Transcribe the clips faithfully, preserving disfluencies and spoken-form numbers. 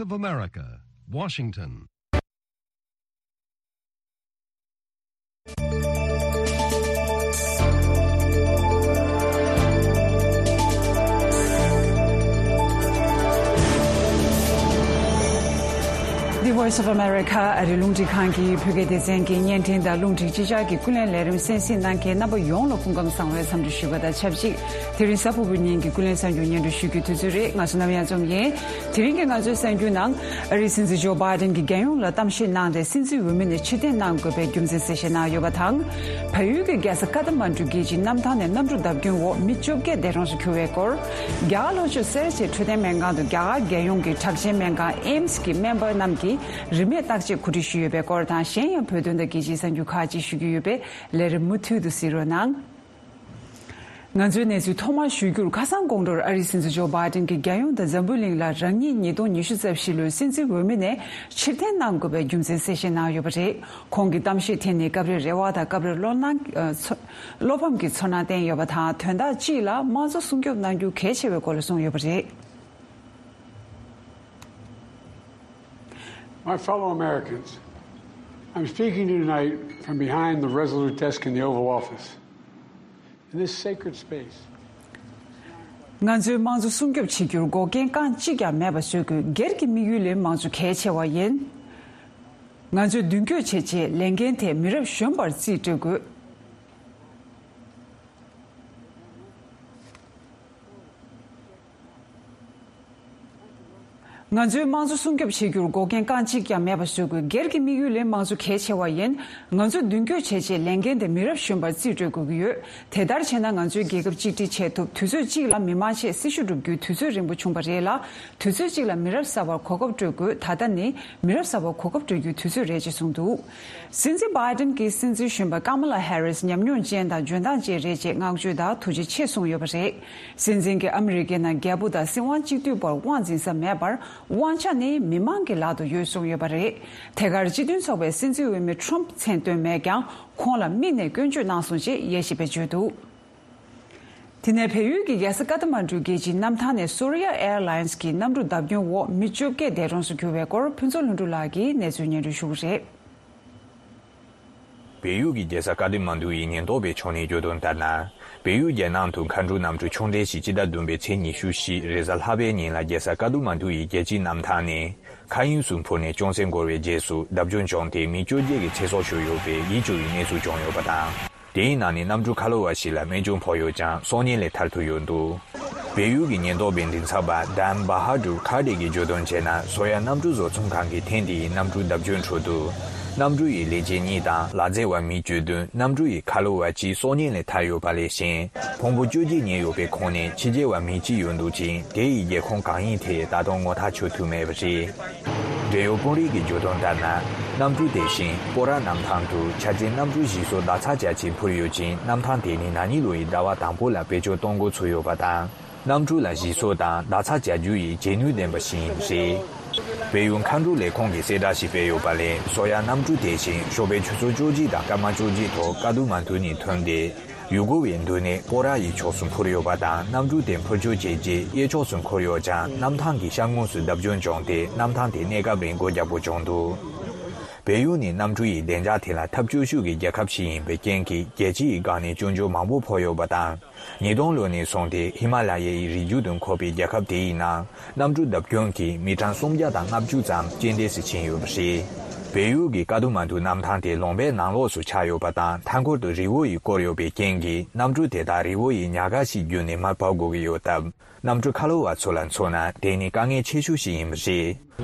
of America, Washington. The Voice of America ཨ་རི་རླུང་འཕྲིན་ཁང་གི་བོད་སྐད་སྡེ་ཚན་གྱི་བརྙན་འཕྲིན་དང་རླུང་འཕྲིན་སྤྱི་ཁྱབ་ཀྱི་ཀུན་གླེང་ལས་རིམ་གསན་གཟིགས་གནང་མཁན་རྣམ་པ་ཡོངས་ལ་སྐུ་ཁམས་བཟང་བའི་འཚམས་འདྲི་ཞུ་བ་དང་ཆབས་ཅིག་དེ་རིང་གཟའ་ཕུར་བུའི་ཉིན་གྱི་ཀུན་གླེང་གསར་འགྱུར་སྙན་སྒྲོན་ཞུ་རྒྱུའི་དུས་ཚོད་རེད། ང་ཚོ་ནམ་ཡང་འཛོམས་ཡིན། དེ་རིང་གི་ང་ཚོའི་གསར་འགྱུར་ནང་ཨ་རིའི་སྲིད་འཛིན་ཇོ་བྷའི་ཏན་གྱིས་རྒྱལ་ཡོངས་ལ་གཏམ་བཤད་གནང་སྟེ་སྲིད་འཛིན་འོས་མི་ནས་ཕྱིར་འཐེན་གནང་དགོས་པའི་རྒྱུ་མཚན་གསལ་བཤད་གནང་ཡོད་པ་དང་། བལ་ཡུལ་གྱི་རྒྱལ་ས་ཀ་ཐ་མན་གྲུ་རྒྱལ་སྤྱིའི་གནམ་ཐང་ནས་གནམ་གྲུ་བརྡབ་སྐྱོན་འོག་མི་བཅོ་བརྒྱད་འདས་གྲོངས་སུ་གྱུར་བའི་སྐོར། རྒྱ་གར་ལྷོ་ཕྱོགས་སེར་བྱེས་འཕྲོད་བསྟེན་སྨན་ཁང་དུ་རྒྱ་གར་རྒྱལ་ཡོངས་ཀྱི་དྲག་ཞན་སྨན་ཁང་ཨེམ་སི་གི་སྨན་པ་རྣམས་ཀྱིས་རིན་མེད་བརྟག་དཔྱད་གོ་སྒྲིག་ཞུས་ཡོད་པའི་སྐོར་དང་། གཞན་ཡང་བོད་དོན་དང་རྒྱལ་སྤྱིའི་གསར་འགྱུར་ཁག་ཅིག་ཞུ་རྒྱུ་ཡོད་པས་ལས་རིམ་མུ་མཐུད་དུ་གཟིགས་རོགས་གནང་། ང་ཚོའི་གནས་ཚུལ་ཐོག་མར་ཞུ་རྒྱུར། ཁ་སང་དགོང་དྲོར་ཨ་རིའི་སྲིད་འཛིན་ཇོ་བྷའི་ཏན་གྱིས་རྒྱལ་ཡོངས་དང་འཛམ་བུའི་གླིང་ལ་རང་ཉིད་ཉིས་སྟོང་ཉི་ཤུ་རྩ་བཞི་ལོའི་སྲིད་འཛིན་འོས་མི་ནས་ཕྱིར་འཐེན་གནང་དགོས་པའི་རྒྱུ་མཚན་གསལ་བཤད་གནང་ཡོད་པ་རེད། ཁོང་གི་གཏམ་བཤད་དེ་ནི་སྐབས་རེ་རེ་བ་དང་སྐབས་རེ་བློ་སྣང་ཨ་ཚོ་བློ་ཕམ་གྱི་ཚོར་སྣང་བསྟན་ཡོད་པ་དང་། དོན་དག་གཅིག་ལ་དམངས་གཙོ་སྲུང་སྐྱོབ་གནང་རྒྱུ་གལ་ཆེ་བའི་སྐོར་ལ་གསུངས་ཡོད་པ་རེད། My fellow Americans, I'm speaking to you tonight from behind the Resolute desk in the Oval Office. In this sacred space, ང་ཚོའི་དམངས་གཙོ་སྲུང་སྐྱོབ་བྱེད་རྒྱུར་འགོག་རྐྱེན་རྐང་གཅིག་ཀྱང་མེད་པ་བཟོ་དགོས། སྒེར་གྱི་དམིགས་ཡུལ་ལས་མང་གཙོ་གལ་ཆེ་བ་ཡིན། ང་ཚོས་མདུན་སྐྱོད་བྱས་རྗེས་ལས་འགན་དེ་མི་རབས་གཞོན་པར་རྩིས་སྤྲོད་དགོས། ང་ཚོའི་དམངས་གཙོ་སྲུང་སྐྱོབ་བྱེད་རྒྱུར་འགོག་རྐྱེན་རྐང་གཅིག་ཀྱང་མེད་པ་བཟོ་དགོས། སྒེར་གྱི་དམིགས་ཡུལ་ལས་མང་གཙོ་གལ་ཆེ་བ་ཡིན། ང་ཚོས་མདུན་སྐྱོད་བྱས་རྗེས་ལས་འགན་དེ་མི་རབས་གཞོན་པར་རྩིས་སྤྲོད་དགོས་ཀྱི་ཡོད། དེ་ལྟར་བྱས་ན་ང་ཚོའི་རྒྱལ་ཁབ་གཅིག་སྒྲིལ་བྱེད་ཐུབ། དུས་ཚོད་གཅིག་ལ་མི་མང་ཆེད་སྲི་ཞུ་སྒྲུབ་རྒྱུའི་དུས་ཚོད་རིང་པོ་བྱུང་བ་རེད་ལ། དུས་ཚོད་གཅིག་ལ་མི་རབས་གསར་པར་གོ་སྐབས་སྤྲོད་དགོས། ད་ལྟ་ནི་མི་རབས་གསར་པར་གོ་སྐབས་སྤྲོད་རྒྱུའི་དུས་ཚོད་རེད་ཅེས་གསུངས་འདུག། སྲིད་འཛིན་བྷའི་ཏན་གྱིས་སྲིད་འཛིན་གཞོན་པ་ཀ་མ་ལ་ཧེ་རིས་ཉམས་མྱོང་ཅན་དང་འཇོན་ཐང་ཅན་རེད་ཅེས་བསྔགས་བརྗོད་དང་ཐུགས་རྗེ་ཆེ་གསུངས་ཡོད་པ་རེད། སྲིད་འཛིན་གྱིས་ཨ་མི་རི་ཀའི་ནང་རྒྱལ་པོ་དང་སྲིད་དབང་གཅིག་སྡུད་བར་དབང་འཛིན་ས་མེད་པར། དབང་ཆ་ནི་མི་མང་གི་ལག་ཏུ་ཡོད་གསུངས་ཡོད་པ་རེད། དེ་གར་སྤྱི་མཐུན་ཚོགས་པའི་སྲིད་འཛིན་འོས་མི་ཁྲོམ་མཚན་བཏོན་མེད་ཀྱང་། ཁོང་ལ་དམིགས་ནས་སྐྱོན་བརྗོད་གནང་སོང་ཅེས་དབྱེ་ཞིབ་པས་བརྗོད་འདུག། དེ་ནས་བལ་ཡུལ་གྱི་རྒྱལ་ས་ཀ་ཐ་མན་གྲུ་རྒྱལ་སྤྱིའི་གནམ་ཐང་ནས་སོར་ཡ་ཨེར་ལའིན་སི་གི་གནམ་གྲུ་བརྡབ་སྐྱོན་འོག་མི་བཅོ་བརྒྱད་འདས་གྲོངས་སུ་གྱུར་བའི་སྐོར་ཕུན་ཚོགས་ལྷུན་གྲུབ་ལགས་ཀྱིས་གནས་ཚུལ་སྙན་སྒྲོན་ཞུ་གི་རེད། བལ་ཡུལ་གྱི་རྒྱལ་ས་ཀ་ཐ་མན་གྲུ་ཡི་ཉེན་རྟོག་པའི་ཕྱོགས་ནས་བརྗོད་དོན་ལྟར་ན། བལ་ཡུལ་རྒྱལ་ནང་དུ་མཁའ་འགྲུལ་གནམ་གྲུ་ཆུང་གྲས་ཤིག་སྤྱི་ཟླ་བདུན་པའི་ཚེས་ཉི་ཤུ་བཞི་རེས་གཟའ་ལྷག་པའི་ཉིན་ལ་རྒྱལ་ས་ཀ་ཐ་མན་གྲུ་ཡི་རྒྱལ་སྤྱིའི་གནམ་ཐང་ནས་མཁའ་དབྱིངས་སུ་འཕུར་ནས་ཅུང་ཟད་འགོར་བའི་རྗེས་སུ་བརྡབ་སྐྱོན་བྱུང་སྟེ་མི་བཅོ་བརྒྱད་ཀྱི་ཚེ་སྲོག་ཤོར་ཡོད་པའི་ཡིད་སྐྱོ་བའི་གནས་ཚུལ་བྱུང་ཡོད་པ་དང་། དེའི་ནང་ནས་གནམ་གྲུ་ཁ་ལོ་བ་ཞིག་ལ་རྨས་སྐྱོན་ཕོག་ཡོད་ཀྱང་སྲོག་ཉེན་ལས་ཐར་ཐུབ་ཡོད་འདུག། བལ་ཡུལ་གྱི་ཉེན་རྟོག་པའི་མགྲིན་ཚབ་པ་ཌན་བྷ་ཧ་ཌུར་ཁ་ཏེ་གིས་བརྗོད་དོན་བྱས་ན། སོ་ཡ་གནམ་གྲུ་བཟོ་ཚོང་ཁང་གིས་ཐེངས་འདི་ཡི་གནམ་གྲུ་བརྡབ་སྐྱོན་ཁྲོད་དུ། གནམ་གྲུ་ཡི་ལས་བྱེད་གཉིས་དང་ལག་རྩལ་བ་མི་བཅུ་བདུན། གནམ་གྲུ་ཡི་ཁ་ལོ་བ་གཅིག་སྲོག་ཉེན་ལས་ཐར་ཡོད་པ་ལས་གཞན། ཕུང་པོ་བཅོ་བརྒྱད་རྙེད་ཡོད་པའི་ཁོངས་ནས་ཕྱི་རྒྱལ་བ་མི་གཅིག་ཡོད་འདུག་ཅིང་། དེ་ཡི་རྒྱལ་ཁོངས་གང་ཡིན་དེ་ད་དུང་ངོ་ཐག་ཆོད་ཐུབ་མེད་པ་རེད། འབྲེལ་ཡོད་དཔོན་རིགས་ཀྱིས་བརྗོད་དོན་ལྟར་ན། གནམ་གྲུ་དེ་བཞིན་སྤོ་ར་གནམ་ཐང་དུ་འཆར་ཅན་གནམ་གྲུ་བཞི་སོ་ཟླ་ཚགས་རྒྱག་ཆེད་འཕུར་ཡོད་ཅིང་། གནམ་ཐང་དེ་ནི་ན་ནིང་ལོ་ཡི་ཟླ་བ་དང་པོ་ལ་བེད་སྤྱོད་གཏོང་འགོ་ཚུགས་ཡོད་པ་དང་། གནམ་གྲུ་ལ་ཞིག་གསོ་དང་ཟླ་ཚགས་རྒྱག་རྒྱུ་ཡི་བྱེད་ནུས་ལྡན་པ་ཞིག་ཡིན་པ་རེད། བལ་ཡུལ་མཁའ་འགྲུལ་ལས་ཁུངས་ཀྱིས་གསལ་བསྒྲགས་ཤིག་སྤེལ་ཡོད་པ་ལས། སོ་ཡ་གནམ་གྲུ་དེ་བཞིན་ཞོགས་པའི་ཆུ་ཚོད་བཅུ་གཅིག་དང་སྐར་མ་བཅུ་གཅིག་ཐོག་ཀ་ཐ་མན་གྲུ་ནས་ཐོན་ཏེ། ཡུ་གུར་བའི་མདུན་ནས་སྤོ་ར་ཡི་ཕྱོགས་སུ་འཕུར་ཡོད་པ་དང་། གནམ་གྲུ་དེ་འཕུར་སྐྱོད་བྱས་རྗེས་གཡས་ཕྱོགས་སུ་འཁོར་ཡོད་ཀྱང་། གནམ་ཐང་གི་ཤར་ངོས་སུ་བརྡབ་སྐྱོན་བྱུང་སྟེ། གནམ་ཐང་དེ་གནས་སྐབས་རིང་སྒོ་རྒྱག་དགོས་བྱུང་འདུག། བལ་ཡུལ་ནི་གནམ་གྲུ་ཡི་བདེ་འཇགས་ཐད་ལ་ཐབས་སྐྱོ་ཤོས་ཀྱི་རྒྱལ་ཁབ་ཞིག་ཡིན་པའི་རྐྱེན་གྱིས། རྒྱལ་སྤྱི་ཡི་སྒང་ནས་སྐྱོན་བརྗོད་མང་པོ་ཕོག་ཡོད་པ་དང་། ཉིས་སྟོང་ལོ་ནས་བཟུང་སྟེ་ཧི་མ་ལ་ཡའི་རི་རྒྱུད་དུ་འཁོད་པའི་རྒྱལ་ཁབ་དེ་ཡི་ནང་གནམ་གྲུ་བརྡབ་སྐྱོན་གྱིས་མི་གྲངས་སུམ་བརྒྱ་དང་ལྔ་བཅུ་ཙམ་རྐྱེན་འདས་སུ་ཕྱིན་ཡོད་པ་རེད། བལ་ཡུལ་གྱི་ཀ་ཐ་མན་གྲུ་གནམ་ཐང་དེ་ལུང་པའི་ནང་ལོགས་སུ་ཆགས་ཡོད་པ་དང་། མཐའ་འཁོར་དུ་རི་བོ་ཡིས་བསྐོར་ཡོད་པའི་རྐྱེན་གྱིས། གནམ་གྲུ་དེ་དག་རི་བོ་ཡི་ཉག་ག་ཞིག་བརྒྱུད་ནས་མར་བབས་དགོས་ཀྱི་ཡོད་སྟབས། གནམ་གྲུ་ཁ་ལོ་བ་ཚོ་ལ་མཚོན་ན། དེ་ནི་དཀའ་ངལ་ཆེ་ཤོས་ཤིག་ཡིན་པ་རེད།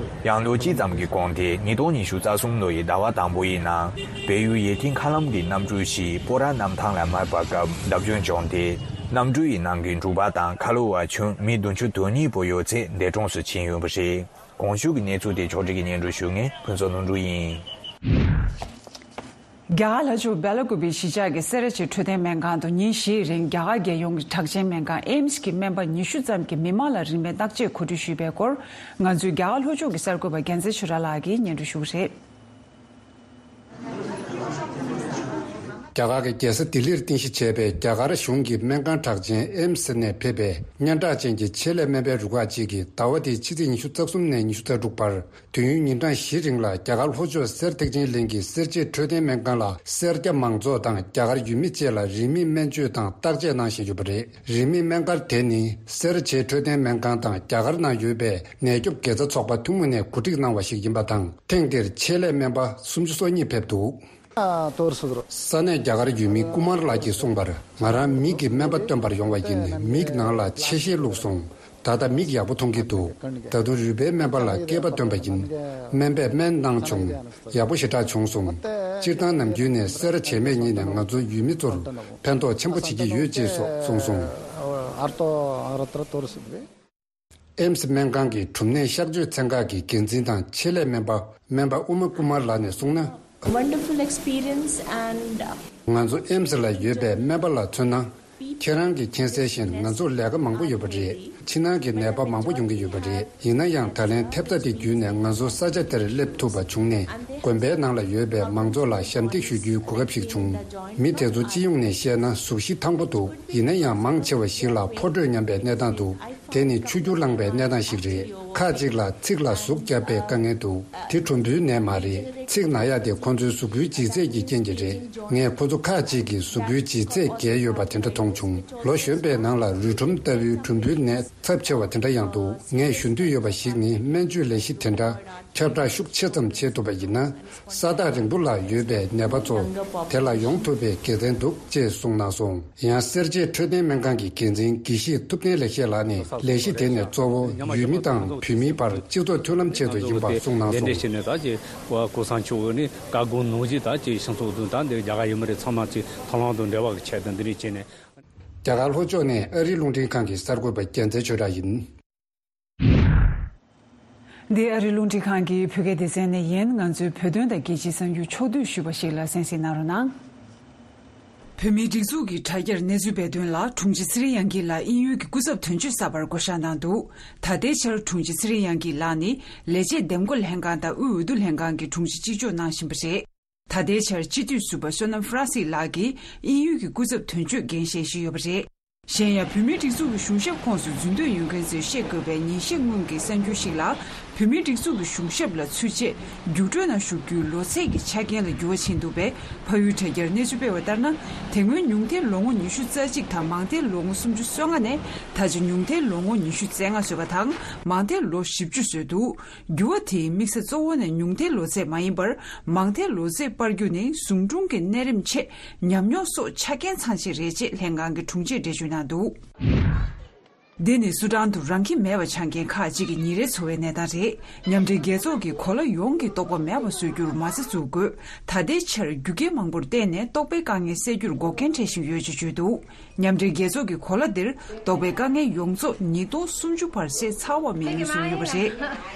ཡང་ལོ་གཅིག་ཙམ་གྱི་གོང་དེ། ཉིས་སྟོང་ཉི་ཤུ་རྩ་གསུམ་ལོ་ཡི་ཟླ་བ་དང་པོ་ཡི་ནང་། བལ་ཡུལ་ཡུལ་ཐིག་མཁའ་ལམ་གྱི་གནམ་གྲུ་ཞིག་སྤོ་ར་གནམ་ཐང་ལ་མར་བབས་སྐབས་བརྡབ་སྐྱོན་བྱུང་སྟེ། གནམ་གྲུ་ཡི་ནང་གི་འབྲུག་པ་དང་ཁ་ལོ་བ་ཁྱོན་མི་བདུན་ཅུ་དོན་གཉིས་པོ་ཡོད་ཚད་འདས་གྲོངས་སུ་ཕྱིན་ཡོད་པ་རེད། གོང་ཞུས་ཀྱི་གནས་ཚུལ་དེ་ཕྱོགས་སྒྲིག་གིས་སྙན་སྒྲོན་ཞུ་མཁན་ཕུན་ཚོགས་ལྷུན་གྲུབ་ཡིན། རྒྱ་གར་ལྷོ་ཕྱོགས་སྦེ་ལ་ཀུ་པེའི་གཞིས་ཆགས་ཀྱི་སེ་ར་བྱེས་འཕྲོད་བསྟེན་སྨན་ཁང་དུ་ཉིན་བཞིའི་རིང་རྒྱ་གར་རྒྱལ་ཡོངས་ཀྱི་དྲག་ཅན་སྨན་ཁང་ཨེམ་སི་གི་སྨན་པ་ཉི་ཤུ་ཙམ་གྱིས་མི་མང་ལ་རིན་མེད་བརྟག་དཔྱད་གོ་སྒྲིག་ཞུས་པའི་སྐོར། ང་ཚོའི་རྒྱ་གར་ལྷོ་ཕྱོགས་ཀྱི་གསར་འགོད་པ་རྒྱལ་མཚན་ཆོས་གྲགས་ལགས་ཀྱིས་སྙན་སྒྲོན་ཞུ་གི་རེད། རྒྱ་གར་གྱི་རྒྱལ་ས་ལྡི་ལིར་རྟེན་གཞི་བྱས་པའི་རྒྱ་གར་གཞུང་གི་སྨན་ཁང་གྲགས་ཅན་ཨེམ་སི་ནས་ཕེབས་པའི་སྙན་གྲགས་ཅན་གྱི་ཆེད་ལས་སྨན་པའི་རུ་ཁག་ཅིག་གིས་ཟླ་བ་འདིའི་ཕྱི་ཚེས་ཉི་ཤུ་རྩ་གསུམ་ནས་ཉི་ཤུ་རྩ་དྲུག་བར་དུས་ཡུན་ཉིན་གྲངས་བཞི་རིང་ལ་རྒྱ་གར་ལྷོ་ཕྱོགས་གསེར་ཐེག་ཆེན་གླིང་གི་སེར་བྱེས་འཕྲོད་བསྟེན་སྨན་ཁང་ལ་སེར་སྐྱ་མང་ཚོགས་དང་རྒྱ་གར་ཡུལ་མི་བཅས་ལ་རིན་མེད་སྨན་བཅོས་དང་བརྟག་དཔྱད་གནང་བཞིན་ཡོད་པ་རེད། རིན་མེད་སྨན་སྒར་དེ་ནི་སེར་བྱེས་འཕྲོད་བསྟེན་སྨན་ཁང་དང་རྒྱ་གར་ནང་ཡོད་པའི་ནད་སྐྱོབ་དགེ་རྩ་ཚོགས་པ་ཐུན་མོང་ནས་གོ་སྒྲིག་གནང་བ་ཞིག་ཡིན་པ་དང་། ཐེངས་འདིར་ཆེད་ལས་སྨན་པ་སུམ་ཅུ་སོ་གཉིས་ཕེབས་འདུག། ས་གནས་རྒྱ་གར་ཡུལ་མི་ཀུ་མར་ལགས་ཀྱིས་གསུངས་པར། ང་རང་མིག་གི་སྨན་པ་སྟོན་པར་ཡོང་བ་ཡིན། མིག་ནང་ལ་ཆེ་ཤེལ་བླུགས་སོང་། ད་ལྟ་མིག་ཡག་པོ་མཐོང་གི་འདུག། ད་དུང་རུས་པའི་སྨན་པ་ལ་སྐེད་པ་བཏོན་པ་ཡིན། སྨན་པས་སྨན་གནང་བྱུང་། ཡག་པོ་ཞེ་དྲག་བྱུང་སོང་། སྤྱིར་བཏང་ནམ་རྒྱུན་ནས་སེ་ར་བྱེས་སྨན་གཉིས་ནས་ང་ཚོ་ཡུལ་མི་ཚོར་ཕན་ཐོགས་ཆེན་པོ་བྱེད་ཀྱི་ཡོད་ཅེས་སོགས་གསུངས་སོང་། ཨེམ་སི་སྨན་ཁང་གི་གྲུམ་ནད་གཤག་བཅོས་ཚན་ཁག་གི་འགན་འཛིན་དང་ཆེད་ལས་སྨན་པ་སྨན་པ་ཨུ་མ་ཀུ་མར་ལགས་ནས་གསུངས་ན། Wonderful experience and ང་ཚོ་ཨེམ་སི་ལ་ཡོད་པའི་སྨན་པ་ལ་མཚོན་ན། ཁྱེད་རང་གིས་མཁྱེན་གསལ་བཞིན་ང་ཚོར་ལས་ཀ་མང་པོ་ཡོད་པ་རེད། ཕྱི་ནང་གི་ནད་པ་མང་པོ་ཡོང་གི་ཡོད་པ་རེད། ཡིན་ན་ཡང་ད་ལན་ཐེབས་རྩ་དེ་བརྒྱུད་ནས་ང་ཚོ་ས་ཆ་དེར་སླེབས་ཐུབ་པ་བྱུང་ནས། དགོན་པའི་ནང་ལ་ཡོད་པའི་མང་ཚོགས་ལ་ཞབས་འདེགས་ཞུ་རྒྱུའི་གོ་སྐབས་ཤིག་བྱུང་། མི་དེ་ཚོ་སྤྱི་ཡོངས་ནས་བཤད་ན་གཟུགས་གཞི་ཐང་པོ་འདུག། ཡིན་ན་ཡང་མང་ཆེ་བ་ཞིག་ལ་ཕོ་དྲོད་ཉམས་པའི་གནས་སྟངས་འདུག། དེ་ནི་ཆུ་རྒྱུ་ལངས་པའི་གནས་སྟངས་ཤིག་རེད། ཁག་ཅིག་ལ་ཚིགས་ལ་ཟུག་བརྒྱབ་པའི་དཀའ་ངལ་འདུག། དེ་གྲུམ་བུའི་ནད་མ་རེད། ཚིགས་ན་ཡག་དེ་ཁོ་ཚོའི་གཟུགས་པོའི་ལྗིད་ཚད་ཀྱི་རྐྱེན་གྱིས་རེད། ངས་ཁོ་ཚོ་ཁག་ཅིག་གི་གཟུགས་པོའི་ལྗིད་ཚད་བརྒལ་ཡོད་པ་དེ་འདྲ་མཐོང་བྱུང་། ལོ་གཞོན་པའི་ནང་ལ་རུས་གྲུམ་ལྟ་བུའི་གྲུམ་བུའི་ནད་ཚབས་ཆེ་བ་དེ་འདྲ་ཡང་འདུག། ངས་ཞུ་འདོད་ཡོད་པ་ཞིག་ནི། སྨན་བཅོས་ལས་གཞི་དེ་འདྲ་ཁྱབ་བསྒྲགས་ཤུགས་ཆེ་ཙམ་བྱེད་ཐུབ་པ་ཡིན་ན། ས་ཐག་རིང་པོ་ལ་ཡོད་པའི་ནད་པ་ཚོ་དེ་ལ་ཡོང་ཐུབ་པའི་དགེ་མཚན་འདུག་ཅེས་གསུངས་གནང་སོང་། ཡང་སེར་བྱེས་འཕྲོད་བསྟེན་སྨན་ཁང་གི་འགན་འཛིན་དགེ་བཤེས་ཐུབ་བསྟན་ལེགས་བཤད་ལགས་ནས། ལས་གཞི་དེ་ནི་གཙོ་བོ་ཡུལ་མི་དང་བོད་མིའི་བར་སྤྱི་ཚོགས་མཐུན་ལམ་ཆེད་དུ་ཡིན་པ་གསུངས་གནང་སོང་། ལས་འབྲས་བྱས་ནས་ད་ཅི་གོ་ས་མཆོག་ནི་བཀའ་དགོངས་ནོར་གྱི་ད་ཅི་ཤིང་ཚོགས་དུ་ད་འདི་རྒྱ་གར་ཡུལ་མི་རེ་ཚང་མ་ཅི་ཐང་ལང་དུ་འབྲེལ་བ་གི་ཆེད་དུ་འདི་རིགས་བྱས་ནས། རྒྱ་གར་ལྷོ་ཕྱོགས་ནས་ཨ་རིའི་རླུང་འཕྲིན་ཁང་གི་གསར་འགོད་པ་རྒྱལ་མཚན་ཆོས་གྲགས་ཡིན། འདི་ཨ་རིའི་རླུང་འཕྲིན་ཁང་གི་བོད་སྐད་སྡེ་ཚན་ནས་ཡིན། ང་ཚོའི་བོད་དོན་དང་རྒྱལ་སྤྱིའི་གསར་འགྱུར་ཕྱོགས་བསྡུས་ཞུས་པ་ཞིག་ལ་གསན་གཟིགས་གནང་རོགས་གནང་། བོད་མིའི་སྒྲིག་འཛུགས་ཀྱི་དྲ་རྒྱར་གནས་ཚུལ་སྤེལ་དོན་ལ། དྲུང་ཆེ་ཚེ་རིང་དབྱངས་སྐྱིད་ལགས་དབྱིན་ཡུལ་གྱི་སྐུ་ཚབ་དོན་གཅོད་གསར་པར་བསྐོ་བཞག་གནང་འདུག། ད་ལྟའི་ཆར་དྲུང་ཆེ་ཚེ་རིང་དབྱངས་སྐྱིད་ལགས་ནི་ལས་བྱེད་འདེམས་བསྐོ་ལྷན་ཁང་དང་དབུས་འོས་བསྡུ་ལྷན་ཁང་གི་དྲུང་ཆེ་གཅིག་ལྕོགས་གནང་བཞིན་པ་རེད། ད་ལྟའི་ཆར་སྤྱི་འཐུས་ཟུར་པ་བསོད་ནམས་ཧྥ་རན་སི་ལགས་ཀྱིས་དབྱིན་ཡུལ་གྱི་སྐུ་ཚབ་དོན་གཅོད་འགན་བཞེས་བཞིན་ཡོད་པ་རེད། གཞན་ཡང་། བོད་མིའི་སྒྲིག་འཛུགས་ཀྱི་གཞུང་ཞབས་ཁོངས་སུ་འཛུལ་འདོད་ཡོད་མཁན་ཚོས་བཤད་དགོས་པའི་ཉིན་ཤས་སྔོན་གྱི་གསར་འགྱུར་ཞིག་ལ། བོད་མིའི་སྒྲིག་འཛུགས་ཀྱི་གཞུང་ཞབས་ལ་ཚུད་རྗེས་རྒྱུགས་སྤྲོད་ནང་ཞུགས་རྒྱུའི་ལོ་ཚད་ཀྱི་ཆ་རྐྱེན་ལ་འགྱུར་བ་ཕྱིན་འདུག་པས། ཕ་ཡུལ་དྲ་རྒྱར་གནས་ཚུལ་སྤེལ་བ་ལྟར་ན། དེ་སྔོན་ཉུང་མཐའི་ལོ་ངོ་ཉི་ཤུ་རྩ་གཅིག་དང་མང་མཐའི་ལོ་ངོ་སུམ་ཅུ་སོ་ལྔ་ནས། ད་ཆ་ཉུང་མཐའི་ལོ་ངོ་ཉི་ཤུ་རྩ་ལྔ་བཟོས་པ་དང་། མང་མཐའི་ལོ་བཞི་བཅུ་བཟོས་འདུག། འགྱུར་བ་དེའི་དམིགས་ས་གཙོ་བོ་ནི་ཉུང་མཐའི་ལོ་ཚད་མ་ཡིན་པར། མང་མཐའི་ལོ་ཚད་སྤར་རྒྱུ་ནི་ཟུང་དྲུང་གི་གནས་རིམ་ཆེད་ཉམས་མྱོང་སོགས་ཆ་རྐྱེན་ཚང་ཆེད་རེད་ཅེས་ལྷན་ཁང་གི་དྲུང་ཆེས་འགྲེལ་བརྗོད་གནང་འདུག། འདི་ནི་སུ་ཌན་དུ་རང་ཁྱིམ་མེད་པར་ཆགས་མཁན་ཁག་ཅིག་གི་ཉིན་རེའི་འཚོ་བའི་གནས་སྟངས་རེད། མཉམ་འབྲེལ་རྒྱལ་ཚོགས་ཀྱིས་གོ་ལ་ཡོངས་ཀྱི་ལྟོགས་པ་མེད་པ་བཟོ་རྒྱུར་མ་རྩ་འཛུགས་དགོས། ད་ལྟའི་ཆར་རྒྱུ་རྐྱེན་མང་པོར་བརྟེན་ནས་ལྟོགས་པའི་དཀའ་ངལ་སེལ་རྒྱུར་འགོག་རྐྱེན་འཕྲད་བཞིན་ཡོད་ཅེས་བརྗོད་འདུག། མཉམ་འབྲེལ་རྒྱལ་ཚོགས་ཀྱི་གོ་ལ་འདིར་ལྟོགས་པའི་དཀའ་ངལ་ཡོངས་རྫོགས་ཉིས་སྟོང་སུམ་ཅུ་བར་སེལ་ཚར་བ་མིན་ལུགས་གསུངས་ཡོད་པ་རེད།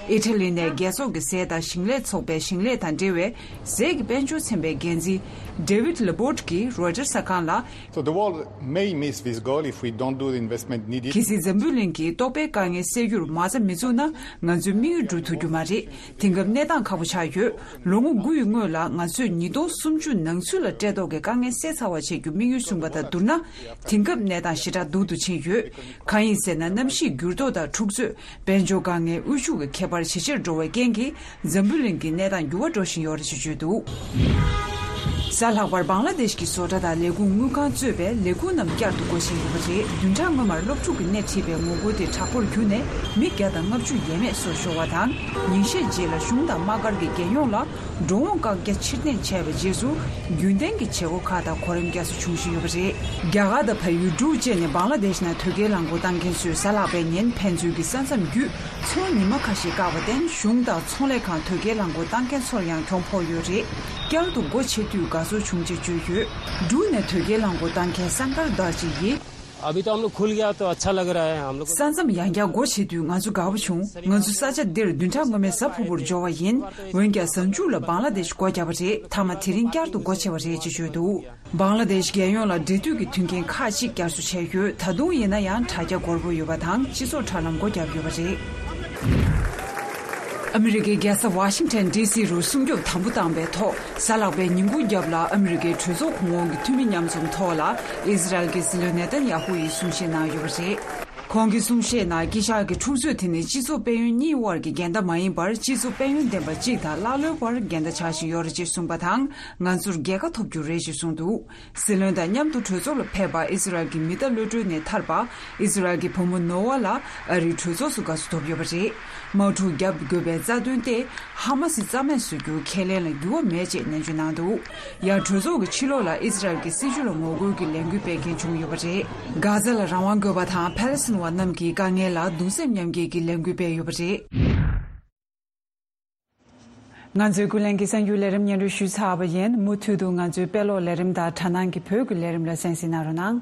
ཨི་ཊ་ལི་ནས་རྒྱལ་ཚོགས་ཀྱི་ཟས་དང་ཞིང་ལས་ཚོགས་པའི་ཞིང་ལས་དང་འབྲེལ་བའི་ཟས་ཀྱི་དཔལ་འབྱོར་ཚན་པའི་འགན་འཛིན་David Laborde གྱིས་Reuters གསར་ཁང་ལ། So the world may miss this goal if we don't do the investment needed. གལ་སྲིད་འཛམ་བུ་གླིང་གིས་ལྟོགས་པའི་དཀའ་ངལ་སེལ་རྒྱུར་མ་རྩ་མི་འཛུགས་ན། ང་ཚོའི་དམིགས་ཡུལ་འགྲུབ་ཐུབ་རྒྱུ་མ་རེད། དེང་སྐབས་གནས་སྟངས་ཁག་པོ་ཆགས་ཡོད། ལོ་ངོ་དགུ་ཡི་སྔོན་ལ་ང་ཚོས་ཉིས་སྟོང་སུམ་ཅུ་ནང་ཚུད་ལ་སྤྲད་ཐོག་གི་དཀའ་ངལ་སེལ་ཚར་བ་བྱེད་རྒྱུ་དམིགས་ཡུལ་བཟུང་བ་དང་བསྡུར་ན། དེང་སྐབས་གནས་སྟངས་ཞེ་དྲག་སྡུག་ཏུ་ཕྱིན་ཡོད། གང་ཡིན་ཟེར་ན། གནམ་གཤིས་འགྱུར་ལྡོག་དང་འཁྲུག་རྩོད། དཔལ་འབྱོར་དཀའ་ངལ། དབུལ་ཕྱུག་གི་ཁྱད་པར་ཇེ་ཆེར་འགྲོ་བའི་རྐྱེན་གྱིས། འཛམ་བུ་གླིང་གི་གནས་སྟངས་འགྱུར་བ་འགྲོ་བཞིན་ཡོད་རེད་ཅེས་བརྗོད་འདུག། གཟའ་ལྷག་པར་བང་ལ་དེཤ་གི་བཟོ་གྲྭ་དང་ལས་ཁུངས་དངུལ་ཁང་གཙོས་པའི་ལས་ཁུངས་རྣམས་བསྐྱར་དུ་སྒོ་ཕྱེ་ཡོད་པ་རེད། བདུན་ཕྲག་སྔོན་མར་སློབ་ཕྲུག་གི་སྣེ་ཁྲིད་པའི་ངོ་རྒོལ་དེ་དྲག་པོར་གྱུར་ནས། མི་བརྒྱ་དང་ལྔ་བཅུ་ཡས་མས་སོ་ཤོར་བ་དང་། ཉིན་ཤས་རྗེས་ལ་གཞུང་དང་དམག་སྒར་གྱི་རྒྱལ་ཡོངས་ལ་འགྲོ་འོང་བཀག་རྒྱ་ཕྱིར་འཐེན་བྱས་པའི་རྗེས་སུ། རྒྱུན་ལྡན་གྱི་བྱེད་སྒོ་ཁག་དང་གོ་རིམ་བསྐྱར་གསོ་བྱུང་བཞིན་ཡོད་པ་རེད། རྒྱ་གར་དང་བལ་ཡུལ་འབྲུག་བཅས་ནས་བང་ལ་དེཤ་ནང་དོས་སྐྱེལ་རླངས་འཁོར་བཏང་མཁན་ཚོས་གཟའ་ལྷག་པའི་ཉིན་ཕན་ཚུན་གྱི་ས་མཚམས་བརྒྱུད། ཚོང་ཉི་མ་ཁ་ཤས་བཀག་པར་བརྟེན། གཞུང་དང་ཚོང་ལས་ཁང་དོས་སྐྱེལ་རླངས་འཁོར་བཏང་མཁན་ཚོར་ཡང་གྱོང་ཕོག་ཡོད་རེད། བསྐྱར་དུ་སྒོ་ཕྱེ་དུས་དགའ་ཚོར་བྱུང་ཅེས་བརྗོད་ཡོད། འབྲུག་ནས་དོས་སྐྱེལ་རླངས་འཁོར་བཏང་མཁན་སན་ཀར་དར་ཇི་ཡིས། अभी तो हम लोग खुल गया तो अच्छा लग रहा है हम लोग को। ས་མཚམས་ཡང་བསྐྱར་སྒོ་ཕྱེ་དུས་ང་ཚོ་དགའ་པོ་བྱུང་། ང་ཚོ་ས་ཆ་འདིར་བདུན་ཕྲག་སྔོན་མའི་གཟའ་ཕུར་བུར་འབྱོར་བ་ཡིན། འོན་ཀྱང་གཟའ་མཇུག་ལ་བང་ལ་དེཤ་སྒོ་བརྒྱབ་པ་རེད། མཐའ་མ་དེ་རིང་བསྐྱར་དུ་སྒོ་ཕྱེ་བ་རེད་ཅེས་བརྗོད་འདུག། བང་ལ་དེཤ་རྒྱལ་ཡོངས་ལ་འབྲེལ་མཐུད་ཀྱི་མཐུན་རྐྱེན་ཁག་ཅིག་བསྐྱར་གསོ་བྱས་ཡོད། ད་དུང་ཡིན་ན་ཡང་དྲ་རྒྱ་སྒོར་པོ་ཡོད་པ་དང་། སྤྱི་ཚོགས་དྲ་ལམ་སྒོ་བརྒྱབ་ཡོད་པ་རེད། ཨ་མི་རི་ཀའི་རྒྱལ་ས་ཝ་ཤིང་ཊོན་ཌི་སི་རུ་སྲུང་སྐྱོབ་དམ་པོ་བཏང་པའི་ཐོག་གཟའ་ལྷག་པའི་ཉིན་གུང་རྒྱབ་ལ་ཨ་མི་རི་ཀའི་གྲོས་ཚོགས་གོང་འོག་གི་འཐུས་མི་མཉམ་འཛོམས་ཐོག་ལ་ཨི་ཟི་རལ་གྱི་སྲིད་བློན་ནེ་ཐན་ཡ་ཧུ་ཡིས་གསུང་བཤད་གནང་ཡོད་པ་རེད། ཁོང་གིས་གསུང་བཤད་ནང་དཀྱིལ་ཤག་གི་འཁྲུག་རྩོད་དེ་ནི་སྤྱི་ཚོགས་དཔལ་ཡོན་གཉིས་དབར་གྱི་འགལ་ཟླ་མ་ཡིན་པར་སྤྱི་ཚོགས་དཔལ་ཡོན་ལྡན་པ་གཅིག་དང་ཀླ་ཀློའི་བར་འགལ་ཟླ་ཆགས་བཞིན་ཡོད་རེད་ཅེས་གསུངས་པ་དང་། ང་ཚོར་རྒྱལ་ཁ་ཐོབ་རྒྱུ་རེད་ཅེས་གསུངས་འདུག། སྲིད་བློན་དང་མཉམ་དུ་གྲོས་ཚོགས་ལ་ཕེབས་པ་ཨི་སི་རལ་གྱི་མི་རྟ་གློད་གྲོལ་ནས་ཐར་པ་ཨི་སི་རལ་གྱི་བུ་མོ་ནོ་ཝ་ལ་ཨ་རིའི་གྲོས་ཚོགས་སུ་དགའ་བསུ་ཐོབ་ཡོད་པ་རེད། དམག་འཁྲུག་བརྒྱབ་དགོས་པའི་རྩ་དོན་ཏེ་ཧ་མ་སི་རྩ་མེད་བཟོ་རྒྱུའི་ཁས་ལེན་ལ་འགྱུར་བ་མེད་ཅེས་ནན་བརྗོད་གནང་འདུག། ཡང་གྲོས་ཚོགས་ཀྱི་ཕྱི་ལོགས་ལ་ཨི་སི་རལ་གྱི་སྲིད་བྱུས་ལ་ངོ་རྒོལ་གྱི་ལས་འགུལ་སྤེལ་མཁན་བྱུང་ཡོད་པ་རེད། གྷ་ཛ་ལ་རང་དབང་དགོས་པ་དང་ཕ་ལེ་སི་ཐན་བ་རྣམས་ཀྱི་དཀའ་ངལ་ལ་གདུང་སེམས་མཉམ་སྐྱེད་ཀྱི་ལས་འགུལ་སྤེལ་ཡོད་པ་རེད། ང་ཚོའི་ཀུན་གླེང་གི་གསར་འགྱུར་ལས་རིམ་སྙན་སྒྲོན་ཞུས་ཚར་བ་ཡིན། མུ་མཐུད་དུ་ང་ཚོའི་དཔེ་ཀློག་ལས་རིམ་དང་དྲ་སྣང་གི་བོད་ཀྱི་ལས་རིམ་ལ་གསན་གཟིགས་གནང་རོགས་གནང་།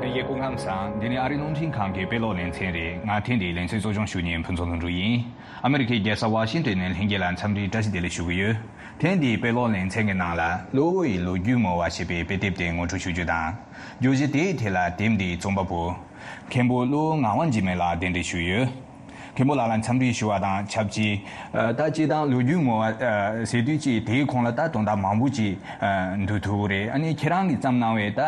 ལྷན་རྒྱས་སྐུ་ཁམས་བཟང་། འདི་ནི་ཨ་རིའི་རླུང་འཕྲིན་ཁང་གི་དཔེ་ཀློག་ལེ་ཚན་རེད། ང་ཐེངས་འདིའི་ལེ་ཚན་གཙོ་སྐྱོང་ཞུ་མཁན་ཕུན་ཚོགས་ལྷུན་གྲུབ་ཡིན། ཨ་མི་རི་ཀའི་རྒྱལ་ས་ཝ་ཤིང་ཊོན་ནས་ལྷན་རྒྱས་ལ་འཚམས་འདྲིའི་བཀྲ་ཤིས་བདེ་ལེགས་ཞུ་གི་ཡོད། ཐེངས་འདིའི་དཔེ་ཀློག་ལེ་ཚན་གྱི་ནང་ལ་གློ་བོ་ཡི་ལོ་རྒྱུས་མོལ་བ་ཞེས་པའི་དཔེ་དེབ་དེ་ངོ་སྤྲོད་ཞུ་རྒྱུ་དང་། བརྗོད་གཞི་དེའི་ཐད་ལ་དེབ་འདིའི་རྩོམ་པ་པོ་མཁན་པོ་བློ་ངག་དབང་འཇིགས་མེད་ལགས་གདན་འདྲེན་ཞུས་ཡོད། མཁན་པོ་ལགས་ལ་འཚམས་འདྲི་ཞུ་བ་དང་ཆབས་ཅིག་ད་སྤྱིར་བཏང་ལོ་རྒྱུས་མོལ་བ་ཟེར་དུས་ཅིག་དེའི་གོང་ལ་ད་དོན་དག་མང་པོ་ཅིག་འདུ་ཐུབ་ཀྱི་རེད། ཨ་ནི་ཁྱེད་རང་གིས་བརྩམས་གནང་བའི་ད་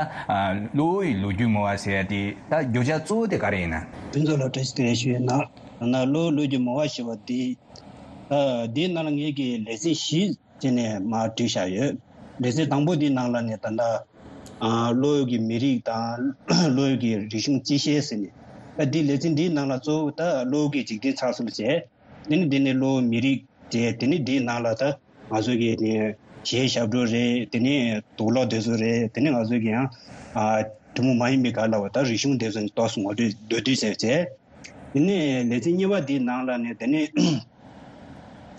གློ་བོ་ཡི་ལོ་རྒྱུས་མོལ་བ་ཟེར་ཡ་དེ་ད་བརྗོད་བྱ་གཙོ་བོ་དེ་ག་རེ་ཡིན་ན། ཕུན་ཚོགས་ལ་བཀྲ་ཤིས་བདེ་ལེགས་ཞུ་ཡོད་ན། ན་གློ་བོ་ལོ་རྒྱུས་མོལ་བ་ཞེས་པ་འདི། ཨ། འདིའི་ནང་ལ་ངེད་ཀྱིས་ལེ་ཚན་བཞི་བྱས་ནས་མར་བསྒྲིགས་བཞག་ཡོད། ལེ་ཚན་དང་པོ་འདིའི་ནང་ལ་ནི་ད་ལྟ་ཨ། གློ་བོ་གི་མི་རིགས་དང་གློ་བོ་གི་རིག་གཞུང་སྤྱི་བཤད་ཟེར་ནས། ད་འདི་ལེ་ཚན་འདིའི་ནང་ལ་གཙོ་བོ་ད་གློ་བོ་གི་འཇིག་རྟེན་ཚགས་ཚུད་བྱས། དེ་ནི་འདི་ནི་གློ་བོ་མི་རིགས་བྱས། དེ་ནི་འདིའི་ནང་ལ་ད་ང་ཚོ་གི་ནི་གཞས་ཞབས་བྲོ་རེད། དེ་ནི་དུག་ལོག་དེ་ཚོ་རེད། དེ་ནི་ང་ཚོ་གི་ཡང་ཨ། ཐུན་མོང་མ་ཡིན་པའི་སྒང་ལ་བ་ད་རིག་གཞུང་དེ་ཚོ་ནི་ཏོག་ཙམ་ངོ་སྤྲོད་མདོར་བསྡུས་བྱས་བྱས། དེ་ནས་ལེ་ཚན་གཉིས་པ་འདིའི་ནང་ལ་ནི་དེ་ནས་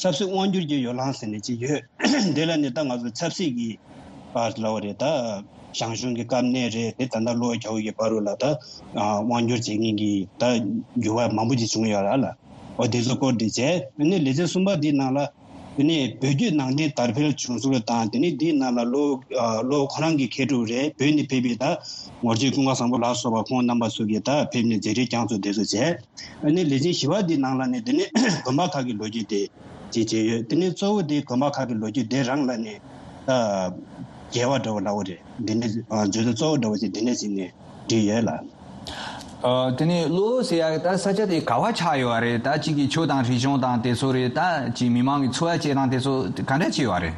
ཆབ་སྲིད་དབང་སྒྱུར་གྱི་ཡོ་ལང་ཟེར་ནས་ཅིག་ཡོད། དེ་ལ་ནི་ད་ང་ཚོ་ཆབ་སྲིད་ཀྱི་བར་ལ་བ་རེད། ད་ཞང་ཞུང་གི་དཀའ་གནད་རེད། དེ་ད་ལྟ་གློ་བོ་རྒྱ་བོད་ཀྱི་བར་རུ་ལ་ད་དབང་སྒྱུར་བྱེད་མཁན་གྱི་ད་འགྱུར་བ་མང་པོ་ཅིག་བྱུང་ཡོད་ར་ལ། འོ་དེ་ཚོ་སྐོར་དེ་བྱས། དེ་ནས་ལེ་ཚན་གསུམ་པ་འདིའི་ནང་ལ། དེ་ནས་བོད་བརྒྱུད་ནང་བསྟན་དར་འཕེལ་བྱུང་ཚུལ་དང་། དེ་ནས་འདིའི་ནང་ལ་གློ་བོ་ཨ། གློ་བོ་ཁོ་རང་གི་མཁས་གྲུབ་རེད། བོད་ནས་ཕེབས་པའི་ད་ངོར་ཆེན་ཀུན་དགའ་བཟང་པོ་ལ་སོགས་པ་ཁོང་རྣམ་པ་ཚོ་གིས་ད་ཕེབས་ནས་མཛད་འཕྲིན་བསྐྱངས་ཚུལ་དེ་ཚོ་བྱས། ཨ་ནི་ལེ་ཚན་བཞི་པ་འདིའི་ནང་ལ་ནི་དེ་ནས་དགོན་པ་ཁག་གི་ལོ་རྒྱུས་དེ་ཅིག་བྱས་ཡོད། དེ་ནས་གཙོ་བོ་དེ་དགོན་པ་ཁག་གི་ལོ་རྒྱུས་དེ་རང་ལ་ནི་ད་རྒྱས་པ་འདྲ་བོ་ལབ་དགོས་རེད། འདི་འདྲ་ཨ། བརྗོད་དོན་གཙོ་བོ་འདྲ་བོ་ཅིག་འདི་འདྲ་ཅིག་ནས་བྲིས་ཡོད་ལ། ཨ། དེ་ནས་གློ་བོ་ཟེར་ཡག་ད་ས་ཆ་དེ་ག་བ་ཆགས་ཡོད་རེད། ད་གཅིག་གི་ཆོས་དང་རིག་གཞུང་དང་དེ་ཚོ་རེད། ད་གཅིག་མི་མང་གི་འཚོ་བ་སྐྱེལ་སྟངས་དེ་ཚོ་ག་འདྲ་ཅིག་ཡོད་རེད།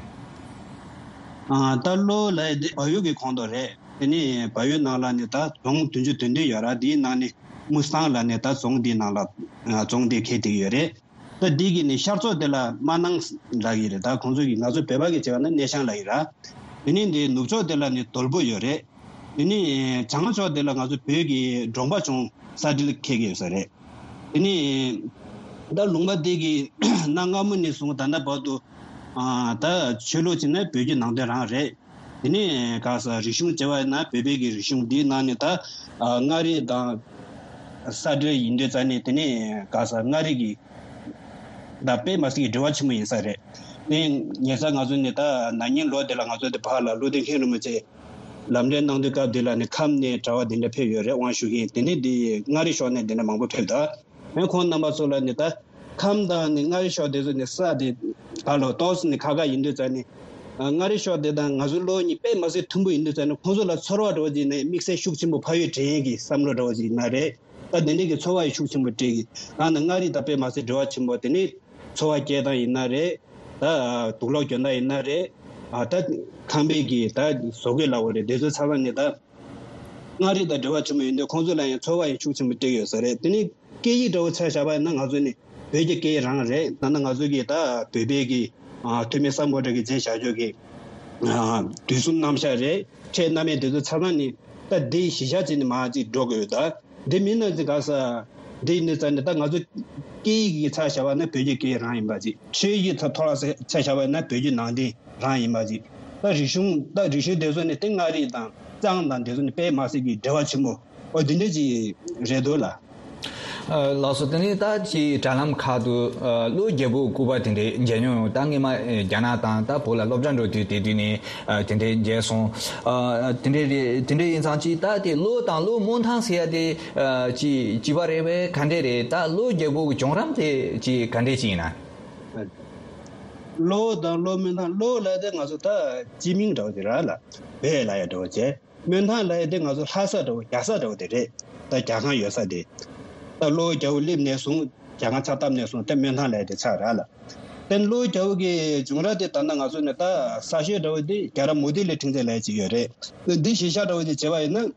ཨ། ད་གློ་བོ་ལབ་ཡག་དེ་བལ་ཡུལ་གྱི་ཁོངས་གཏོགས་རེད། དེ་ནས་བལ་ཡུལ་ནང་ལ་ནི་ད་རྫོང་བདུན་ཅུ་དོན་བདུན་ཡོད་ར། དེའི་ནང་ནས་དམུ་སང་ལབ་ནས་ད་རྫོང་དེའི་ནང་ལ་ཨ། རྫོང་དེ་ཁེལ་བསྡད་ཡོད་རེད། ད་འདི་གི་ནི་ཤར་ཕྱོགས་དེ་ལ་རྨ་ནང་ལབ་ཀྱི་རེད། ད་ཁོང་ཚོ་གི་ང་ཚོ་བོད་པ་གི་བྱས་པ་ན་སྣེ་ཤང་ལབ་ཀྱི་ར། དེ་ནས་འདི་ནུབ་ཕྱོགས་དེ་ལ་ནི་དོལ་པོ་ཡོད་རེད། དེ་ནས་བྱང་ཕྱོགས་དེ་ལ་ང་ཚོ་བོད་ཀྱི་འབྲོང་པ་ཆུང་ས་འབྲེལ་འཁེལ་གྱི་ཡོད་ས་རེད། དེ་ནས་ད་ལུང་པ་འདི་གི་གནའ་སྔ་མོ་ནས་བཟུང་ད་ལྟ་བར་དུ་ཨ། ད་ཆོས་ལུགས་བྱས་ན་བོད་བརྒྱུད་ནང་བསྟན་རང་རེད། དེ་ནས་ག་ས་རིག་གཞུང་བྱས་པ་ཡིན་ན་བོད་པའི་གི་རིག་གཞུང་འདིའི་ནང་ནས་ད་ཨ། མངའ་རིས་དང་ས་འབྲེལ་ཡིན་དུས་ཙང་ནས་དེ་ནས་ག་ས་མངའ་རིས་ཀྱི་ད་དཔེ་མ་སྲིད་ཀྱི་འབྲེལ་བ་ཆེན་པོ་ཡིན་ས་རེད། དེ་ཉེ་ས་ང་ཚོ་ནས་ད་ན་ནིང་ལོ་དེ་ལ་ང་ཚོ་དེ་ཕར་ལ་བློ་ལྡན་མཁན་རིན་པོ་ཆེ་ལམ་གླེང་གནང་དུས་སྐབས་དེ་ལ་ནི་ཁམས་ནས་གྲྭ་པ་དེ་འདྲ་ཕེབས་ཡོད་རེད། དབང་ཞུ་མཁན་དེ་ནས་དེ་མངའ་རིས་ཕྱོགས་ནས་དེ་འདྲ་མང་པོ་ཕེབས་ད། ཡང་ཁོང་རྣམ་པ་ཚོ་ལ་ནི་ད་ཁམས་དང་ནི་མངའ་རིས་ཕྱོགས་དེ་ཚོ་ནི་ས་དེ་ག་ལོ་ཏོག་ཙམ་ནི་ཁ་ཁ་ཡིན་དུས་ཙང་ནི། ཨ། མངའ་རིས་ཕྱོགས་དེ་དང་ང་ཚོའི་གློ་བོ་གཉིས་དཔེ་མ་སྲིད་མཐུན་པོ་ཡིན་དུས་ཙང་ནི་ཁོང་ཚོ་ལ་ཚོར་བ་འདྲ་བོ་ཅིག་ནི་དམིགས་བསལ་ཤུགས་ཆེན་པོ་ཕ་ཡུལ་དྲན་ཡས་ཀྱི་བསམ་བློ་འདྲ་བོ་ཅིག་ཡིན་ན་རེད། ད་དེ་འདྲའི་གི་ཚོར་བ་ཡི་ཤུགས་ཆེན་པོ་སྤྲད་ཀྱི། ད་ནི་མངའ་རིས་དང་དཔེ་མ་སྲིད་འབྲེལ་བ་ཆེན་པོ། དེ་ནི་འཚོ་བ་སྐྱེལ་སྟངས་ཡིན་ན་རེད། ད་དུག་ལོག་གྱོན་སྟངས་ཡིན་ན་རེད། ཨ། ད་ཁང་པའི་གི་ད་བཟོ་བཀོད་ལབ་དགོས་རེད། དེ་ཚོ་ཚང་མ་ནི་ད་མངའ་རིས་དང་འབྲེལ་བ་ཆེན་པོ་ཡིན་དུས་ཁོང་ཚོ་ལ་ཡང་ཚོར་བ་ཡི་ཤུགས་ཆེན་པོ་སྤྲད་ཀྱི་ཡོད་ས་རེད། དེ་ནི་སྐད་ཡིག་འདྲ་བོ་ཆ་བཞག་པ་ཡིན་ན་ང་ཚོ་ནི་བོད་ཀྱི་སྐད་ཡིག་རང་རེད། ད་ནི་ང་ཚོ་གི་ད་བོད་པའི་གི་ཨ། ཐོན་མི་སམ་བྷོ་ཊ་གིས་མཛད་བཞག་ཆོག་གི་ཨ། དུས་གསུམ་རྣམ་གཞག་རེད། ཕྲད་རྣམ་དབྱེ་དེ་ཚོ་ཚང་མ་ནི་ད་འདི་གཞི་བཞག་བྱས་ནས་མར་ཅིག་འགྲོ་དགོས་ཡོད་ད། འདི་མིན་ན་ཅིག་ག་ས་འདི་ཡིན་དུས་ཙང་ནས་ད་ང་ཚོ་སྐད་ཡིག་གི་ཆ་བཞག་པ་ན་བོད་ཀྱི་སྐད་ཡིག་རང་ཡིན་པ་ཅིག། ཆོས་ཡིག་ཐོག་ལ་ཆ་བཞག་པ་ན་བོད་ཀྱི་ནང་བསྟན་རང་ཡིན་པ་ཅིག། ད་རིག་གཞུང་ད་རིག་གཞུང་དེ་ཚོ་ནི་ཏིང་མངའ་རིས་དང་གཙང་དང་དེ་ཚོ་ནི་དཔེ་མ་སྲིད་ཀྱི་འབྲེལ་བ་ཆེན་པོ་འོ་དེ་འདྲ་ཅིག་རེད་འདུག་ལ། ལགས་སོ། དེ་ནས་ད་ཅིག་དྲ་ལམ་ཁག་ཏུ་ཀློ་རྒྱལ་པོ་སྐུ་པར་དེ་འདྲའི་མཇལ་མྱོང་ཡོད། ད་སྔས་མ་རྒྱ་ནག་དང་ད་བོད་ལ་སློབ་གྲྭ་འགྲོ་དུས་དེ་དུས་ནས་དེ་འདྲའི་མཇལ་སོང་། དེ་འདྲའི་རེད། དེ་འདྲའི་ཡིན་ཙང་ཅིག་ད་དེ་ཀློ་དང་ཀློ་སྨོན་ཐང་ཟེར་ཡ་དེ་ཅིག་གཅིག་པ་རེད་པས། ག་འདྲས་རེད། ད་ཀློ་རྒྱལ་པོ་གི་བྱུང་རིམ་དེ་ཅིག་ག་འདྲས་ཅིག་ཡིན་ན། ཀློ་དང་ཀློ་སྨོན་ཐང་། ཀློ་ལ་དེ་ང་ཚོ་ད་སྤྱི་མིང་འདྲ་བོ་དེ་ར་ལ་བོད་ལ་ཡ་འདྲ་བོ་བྱས། སྨོན་ཐང་ལ་ཡ་དེ་ང་ཚོ་ལྷ་ས་འདྲ་བོ་རྒྱ་ས་འདྲ་བོ་དེ་རེད། ད་རྒྱ་ཁང་ཡོད་ས་དེ། ད་ཀློ་རྒྱལ་པོ་སླེབས་ནས་བཟུང་རྒྱ་ཁང་ཆགས་བཏབ་ནས་བཟུང་དེ་སྨོན་ཐང་ལ་ཡ་དེ་ཆགས་ར་ལ། དེ་ཀློ་རྒྱལ་པོ་གི་བྱུང་རབས་དེ་ད་ལྟ་ང་ཚོ་ནས་ད་གསར་ཤོས་འདྲ་བོ་དེ་རྒྱལ་རབས་མུ་ཏིག་གླིང་ཕྲེང་མཛེས་ལ་ཡ་ཅིག་ཡོད་རེད། འདི་གཞི་བཞག་འདྲ་བོ་དེ་བྱས་པ་ཡིན་ན།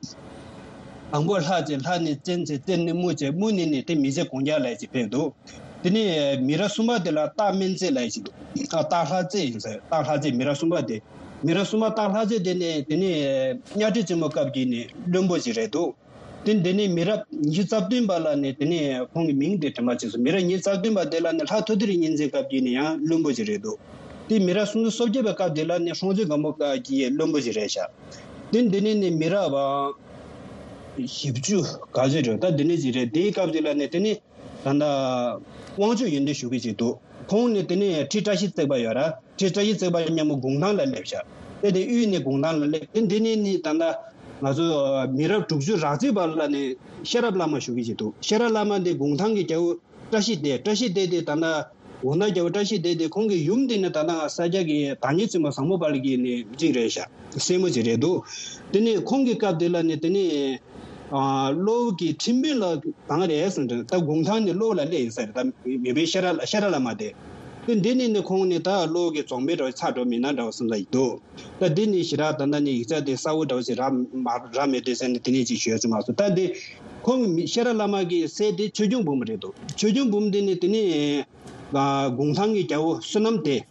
དང་པོ་ལྷ་བྱས། ལྷ་ནས་བཙན་བྱས། བཙན་ནས་དམུ་བྱས། དམུ་ནས་ནི་དེ་མི་བྱས་གུང་རྒྱལ་ལ་ཡ་ཅིག་ཕེབས་འདུག་དེ་ནས་མི་རབས་གསུམ་པ་དེ་ལ་སྟག་སྨན་རྩེ་ལ་ཡ་ཅིག་འདུག་ཨ་སྟག་ལྷ་རྩེ་ཡིན་ཟེར། སྟག་ལྷ་རྩེ་མི་རབས་གསུམ་པ་དེ། མི་རབས་གསུམ་པ་སྟག་ལྷ་རྩེ་དེ་ནས་དེ་ནས་གཉའ་ཁྲི་ཆེན་པོ་སྐབས་ཀྱི་ནས་བློན་པོ་ཞིག་རེད་འདུག་དེ་འདི་ནས་མི་རབས་ཉི་ཤུ་རྩ་བདུན་པ་ལ་ནས་དེ་ནས་ཁོང་གི་མིང་དེ་དྲན་པ་བྱས་སོང་། མི་རབས་ཉི་ཤུ་རྩ་བདུན་པ་དེ་ལ་ནས་ལྷ་ཐོ་ཐོ་རི་གཉན་བཙན་སྐབས་ཀྱི་ནས་ཡང་བློན་པོ་ཞིག་རེད་འདུག་དེ་མི་རབས་སུམ་ཅུ་སོ་བརྒྱད་པའི་སྐབས་དེ་ལ་ནས་ཧྲོང་ཆོས་སྒམ་པོ་སྐབས་ཀྱི་བློན་པོ་ཞིག་རེད་ཤག་དེ་འདི་ནས་ནས་མི་རབས་བཞི་བཅུ་ག་ཚོད་རེད། ད་འདི་ནས་ཅིག་རེད། དེའི་སྐབས་དེ་ལ་ནས་དེ་ནས་ད་ལྟ་དབང་ཕྱུག་ཡོན་ཏན་ཞུ་གི་ཅིག་འདུག་ཁོང་ནས་དེ་ནས་ཁྲི་བཀྲ་ཤིས་བརྩེགས་པ་ཡོད་ར། ཁྲི་བཀྲ་ཤིས་བརྩེགས་པ་མཉམ་པོ་གུང་ཐང་ལ་སླེབས་ཤག་དེ་དེ་དབུས་ནས་གུང་ཐང་ལ་སླེབས། དེ་འདི་ནས་ནི་ད་ལྟ་ང་ཚོ་མི་རབས་དྲུག་ཅུ་རག་ཚོད་པ་ལ་ནི་ཤེས་རབ་བླ་མ་ཞུ་གི་ཅིག་འདུག་ཤེས་རབ་བླ་མ་དེ་གུང་ཐང་གི་རྒྱལ་པོ་བཀྲ་ཤིས་ལྡེ། བཀྲ་ཤིས་ལྡེ་དེ་ད་ལྟ་གུང་ཐང་རྒྱལ་པོ་བཀྲ་ཤིས་ལྡེ་དེ་ཁོང་གི་ཡུམ་དེ་ནི་ད་ལྟ་ང་ས་སྐྱ་གི་བདག་ཉིད་ཆེན་པོ་བཟང་པོ་དཔལ་གྱི་ནི་གཅིག་རེད་ཤག་སྲས་མོ་ཅིག་རེད་འདུག་དེ་ནས་ཁོང་གི་སྐབས་དེ་ལ་ནི་དེ་ནས་ཨ་ཀློ་གི་ཁྲིམས་དཔོན་ལ་གང་རེད་ཟེར་ན། ད་གུང་ཐང་ནས་ཀློ་ལ་སླེབས་ཡིན་ས་རེད། ད་མི་དཔོན་ཤེས་རབ་ཤེས་རབ་བླ་མ་དེ། དེ་འདི་ནས་ནི་ཁོང་ནི་ད་ཀློ་གི་རྫོང་དཔོན་འདྲ་བོ་ཆགས་འགྲོ་མིན་ན་འདྲ་བོ་བསམ་ས་ཡིན་འདུག་ད་འདི་ནི་ཞེ་དྲག་ད་ལྟ་ནི་ཡིག་ཆ་དེ་གསལ་བོ་འདྲ་བོ་ཞིག་རག་མ་རག་མེད་དུས་ཟེར་ནས་དེ་ནས་ཅིག་ཞུ་ཡ་ཅིག་མ་སོང་། ད་འདི་ཁོང་གི་མི་ཤེས་རབ་བླ་མ་གི་སྲས་དེ་ཆོས་སྐྱོང་འབུམ་རེད་འདུག་ཆོས་སྐྱོང་འབུམ་དེ་ནི་དེ་ནི་ཨ་གུང་ཐང་གི་རྒྱལ་པོ་བསོད་ནམས་ལྡན།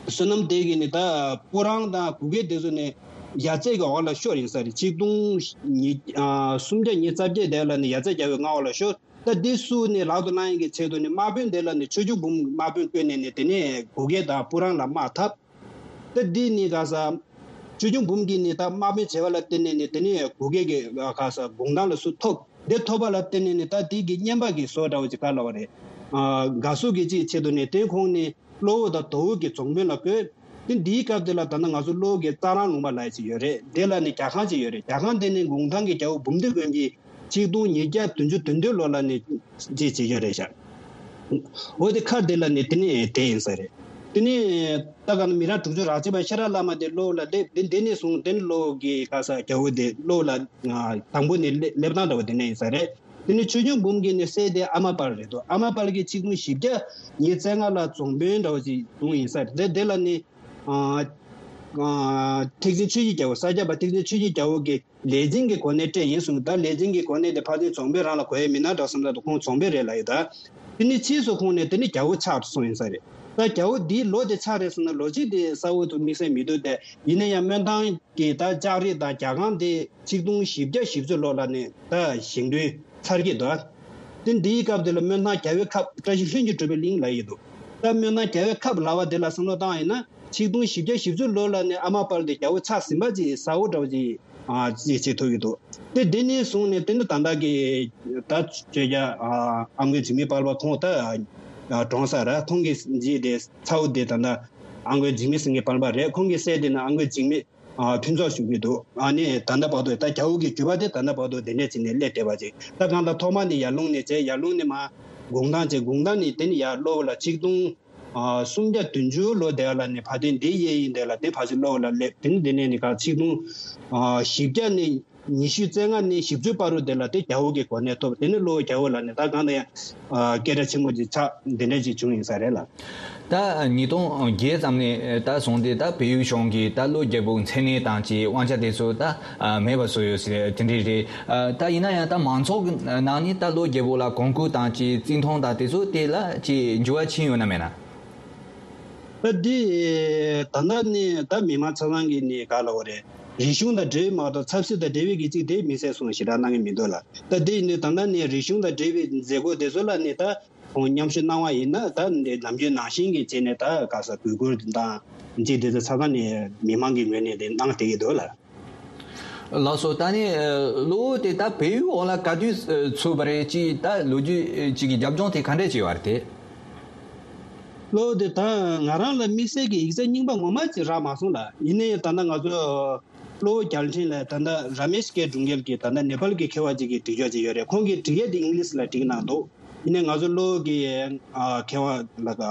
བསོད་ནམས་ལྡན་གྱིས་ནི་ད་སྤུ་རང་དང་གུ་གེ་དེ་ཚོ་ནི་ཡ་རྩེ་གི་འོག་ལ་ཤོར་ཡིན་ས་རེད། ཆིག་སྟོང་ཉིས་ཨ་སུམ་བརྒྱ་ཉི་ཤུ་རྩ་བརྒྱད་དེ་ལ་ནི་ཡ་རྩེ་རྒྱལ་པོའི་མངའ་འོག་ལ་ཤོར། ད་འདི་སུ་ནི་ལག་ཏུ་བླང་ཡག་གི་ཆེད་དུ་ནི་དམག་དཔོན་དེ་ལ་ནི་ཆོས་སྐྱོང་འབུམ་དམག་དཔོན་བསྐོས་ནས་ནི་དེ་ནས་གུ་གེ་དང་སྤུ་རང་ལ་དམག་འཐབ། ད་འདི་ནི་ག་ས་ཆོས་སྐྱོང་འབུམ་གྱིས་ནི་ད་དམག་དཔོན་བྱས་པ་ལ་བརྟེན་ནས་ནི་དེ་ནས་གུ་གེ་གི་ག་ས་གུང་ཐང་ལ་སུ་ཐོབ། དེ་ཐོབ་པ་ལ་བརྟེན་ནས་ནི་ད་དེ་གི་བསྙེན་པ་གི་བཟོ་འདྲ་བོ་ཅིག་ག་ལ་བ་རེད། ཨ་དགའ་བསུ་གི་ཅིག་ཆེད་དུ་ནི་དེ་ཁོང་ནི་གློ་བོ་དང་དོ་བོ་གི་རྫོང་དཔོན་ལ་བསྐོས། དེ་འདིའི་སྐབས་དེ་ལ་ད་ནི་ང་ཚོ་གློ་བོ་གི་རྩ་རང་ལུང་པ་ལ་ཅིག་ཡོད་རེད། དེ་ལ་ནི་རྒྱ་ཁང་ཅིག་ཡོད་རེད། རྒྱ་ཁང་དེ་ནི་གུང་ཐང་གི་རྒྱལ་པོ་འབུམ་སྡེ་མགོན་གྱིས་ཆིག་སྟོང་ཉིས་བརྒྱ་བདུན་ཅུ་དོན་བདུན་ལོ་ལ་ནི་ཅིག་བྱེད་ཀྱི་ཡོད་རེད་ཤག་འོ་དེ་མཁར་དེ་ལ་ནི་དེ་ནི་དེ་ཡིན་ས་རེད། དེ་ནི་ད་ག་ནི་མི་རབས་དྲུག་ཅུ་རག་ཚོད་པ་ཤེས་རབ་བླ་མ་དེ་གློ་བོ་ལ་སླེབས། དེ་དེ་ནས་བཟུང་དེ་ནི་གློ་བོ་གི་ག་ས་རྒྱལ་པོ་དེ་གློ་བོ་ལ་དང་པོ་ནས་སླེབས་སྟངས་འདྲ་བོ་དེ་ནས་ཡིན་ས་རེད། དེ་ནི་ཆོས་སྐྱོང་འབུམ་གྱི་ནི་སྲས་དེ་ཨ་མ་དཔལ་རེད་འདུག་ཨ་མ་དཔལ་གྱིས་ཆིག་སྟོང་བཞི་བརྒྱ་ཉི་ཤུ་རྩ་ལྔ་ལ་རྫོང་དཔོན་འདྲ་བོ་ཅིག་བྱུང་ཡིན་ས་རེད། དེ་དེ་ལ་ནི་ཨ་ཨ་ཐེག་ཆེན་ཆོས་ཀྱི་རྒྱལ་པོ་ས་སྐྱ་པ་ཐེག་ཆེན་ཆོས་ཀྱི་རྒྱལ་པོ་གི་ལས་འཛིན་གྱི་གོ་གནས་སྤྲད་ཡིན་གསུངས། ད་ལས་འཛིན་གྱི་གོ་གནས་དེ་ཕ་དེ་རྫོང་དཔོན་རང་ལ་གོ་ཡས་མིན་ན་འདྲ་བསམ་ད་དུ་ཁོང་རྫོང་དཔོན་རེད་ལབ་ཡོད་ད། དེ་ནི་ཕྱིས་སུ་ཁོང་ནས་དེ་ནི་རྒྱལ་པོ་ཆགས་སོང་ཡིན་ས་རེད། ད་རྒྱལ་པོ་འདིའི་ལོ་དེ་ཆགས་རེད་ཟེར་ན་ལོ་གཅིག་དེ་གསལ་བོ་དུ་དམིགས་བསལ་མི་འདུག་སྟེ། ཡིན་ན་ཡང་སྨོན་ཐང་གི་ད་ལྕགས་རི་དང་རྒྱ་ཁང་དེ་ཆིག་སྟོང་བཞི་བརྒྱ་བཞི་བཅུ་ལོ་ལ་ནས་ད་བཞེངས་སྐྲུན་ཚར་གྱི་འདུག་དེ་འདིའི་སྐབས་དེ་ལ་སྨོན་ཐང་རྒྱལ་པོའི་ཁབ་བཀྲ་ཤིས་ལྷུན་གྱིས་གྲུབ་པའི་གླིང་ལབ་ཡི་འདུག་ད་སྨོན་ཐང་རྒྱལ་པོའི་ཁབ་ལབ་པ་དེ་ལ་བསམ་བློ་བཏང་ཡིན་ན། ཆིག་སྟོང་བཞི་བརྒྱ་བཞི་བཅུ་ལོ་ལ་ནས་ཨ་མ་དཔལ་དེ་རྒྱལ་པོ་ཆགས་ཟིན་པ་ཅིག་གསལ་བོ་འདྲ་བོ་ཅིག་ཨ་ཅིག་བྱེད་ཐུབ་ཀྱི་འདུག་དེ་འདི་ནས་བཟུང་ནས་དེ་ནི་ད་ལྟ་གི་ད་བརྗོད་བྱ་ཨ་ཨ་མགོན་འཇིགས་མེད་དཔལ་བ་ཁོང་ད་ཨ་གྲོངས་ས་ར། ཁོང་གི་རྗེས་དེ་ཚ་བོ་དེ་ད་ལྟ་ཨ་མགོན་འཇིགས་མེད་སེང་གེ་དཔལ་བ་རེད། ཁོང་གི་སྲས་དེ་ནི་ཨ་མགོན་འཇིགས་མེད་ཨ་ཕུན་ཚོགས་ཞུ་གི་འདུག་ཨ་ནི་ད་ལྟ་བར་དུ་ད་རྒྱལ་པོ་གི་རྒྱུད་པ་དེ་ད་ལྟ་བར་དུ་དེ་འདྲས་བྱས་ནས་སླེབས་བསྡད་པ་ཅིག་ད་གང་ལྟར་ཐོག་མ་ནས་ཡར་ཀླུང་ནས་བྱས། ཡར་ཀླུང་ནས་མར་གུང་ཐང་བྱས། གུང་ཐང་ནས་དེ་ནི་ཡར་གློ་བོ་ལ་ཆིག་སྟོང་ཨ་སུམ་བརྒྱ་བདུན་ཅུ་ལོ་དེ་ལ་ནི་ཕ་དེ་འདི་གཡས་གཡོན་དེ་ལ་དེ་ཕ་ཆེ་གློ་བོ་ལ་སླེབས། དེ་ནི་དེ་ནས་ནི་ག་ཆིག་སྟོང་ཨ་བཞི་བརྒྱ་ནས་ཉི་ཤུ་རྩ་ལྔ་ནས་བཞི་བཅུ་བར་དུ་དེ་ལ་དེ་རྒྱལ་པོ་གི་གོ་གནས་ཐོབ། དེ་ནི་གློ་བོ་རྒྱལ་པོ་ལ་ནི་ད་གང་ལྟར་ཡང་ཨ་སྐད་གྲགས་ཆེན་པོ་ཅིག་ཆགས་འདི་འདྲ་ཅིག་བྱུང་ཡིན་ས་རེད་ལ། ད་ཉིས་སྟོང་བརྒྱད་ཙམ་ནས་ད་བཟུང་སྟེ་ད་བལ་ཡུལ་གཞུང་གིས་ད་ཀློ་རྒྱལ་པོའི་མཚན་གནས་དང་ཅིག་དབང་ཆ་དེ་ཚོ་ད་མེད་པ་བཟོས་ཡོད་ཟེར་དེ་འདྲ་རེད། ད་ཡིན་ན་ཡང་ད་མང་ཚོགས་ཀྱི་ནང་ནས་ད་ཀློ་རྒྱལ་པོ་ལ་གོང་བཀུར་དང་ཅིག་བརྩི་མཐོང་དང་དེ་ཚོ་དེ་ལ་ཅིག་འགྱུར་བ་ཕྱིན་ཡོད་ན་མེད་ན། ད་འདི་ད་ལྟ་ནས་ད་མི་མང་ཆ་ཚང་གིས་ནས་ག་ལབ་དགོས་རེད། རིག་གཞུང་དང་འབྲེལ་བའི་མ་གཏོགས་ཆབ་སྲིད་དང་འབྲེལ་བའི་གི་ཅིག་དེ་དམིགས་བསལ་སོང་ཞེ་དྲག་གནང་གི་མི་འདུག་ལ། ད་འདི་ནས་ད་ལྟ་ནས་རིག་གཞུང་དང་འབྲེལ་བའི་མཛད་སྒོ་དེ་ཚོ་ལ་ནས་ད་ ཁོང་མཉམ་ཞུགས་གནང་བ་ཡིན་ན་ད་འདི་ནམ་རྒྱུན་ནང་བཞིན་གྱི་བྱས་ནས་ད་ག་ས་གུས་བཀུར་དང་ཅིག་དེ་ཚོ་ཆ་ཚང་ནས་མི་མང་གི་ངོས་ནས་དེ་གནང་བསྡད་ཀྱི་འདུག་ལ། ལགས་སོ། ད་ནི་གློ་བོ་དེ་ད་བལ་ཡུལ་འོག་ལ་ག་དུས་ཚུད་པ་རེད། ཅིག་ད་ལོ་རྒྱུས་ཅིག་གི་རྒྱབ་ལྗོངས་དེ་ག་འདྲས་ཅིག་ཡོད་རེད་དེ། གློ་བོ་དེ་ད་ང་རང་ལ་དམིགས་བསལ་གྱི་ཡིག་ཚད་རྙིང་པ་ངོ་མ་ཅིག་རག་མ་སོང་ལ། ཡིན་ནའི་ད་ལྟ་ང་ཚོ་གློ་བོ་རྒྱལ་ཕྲན་ལ་ད་ལྟ་ར་མེཤ་སྐད་སྒྲུང་རྒྱལ་གྱི་ད་ལྟ་ནེ་པཱལ་གྱི་མཁས་པ་ཅིག་གིས་བྲིས་ཆོག་ཅིག་ཡོད་རེད། ཁོང་གིས་བྲིས་ཡས་དེ་ཨིང་ལིཤ་ལ་བྲིས་གནང་འདུག་ཡིན་ནའི་ང་ཚོ་གློ་བོ་གི་ཨ་མཁས་པ་ལ་ད་ད་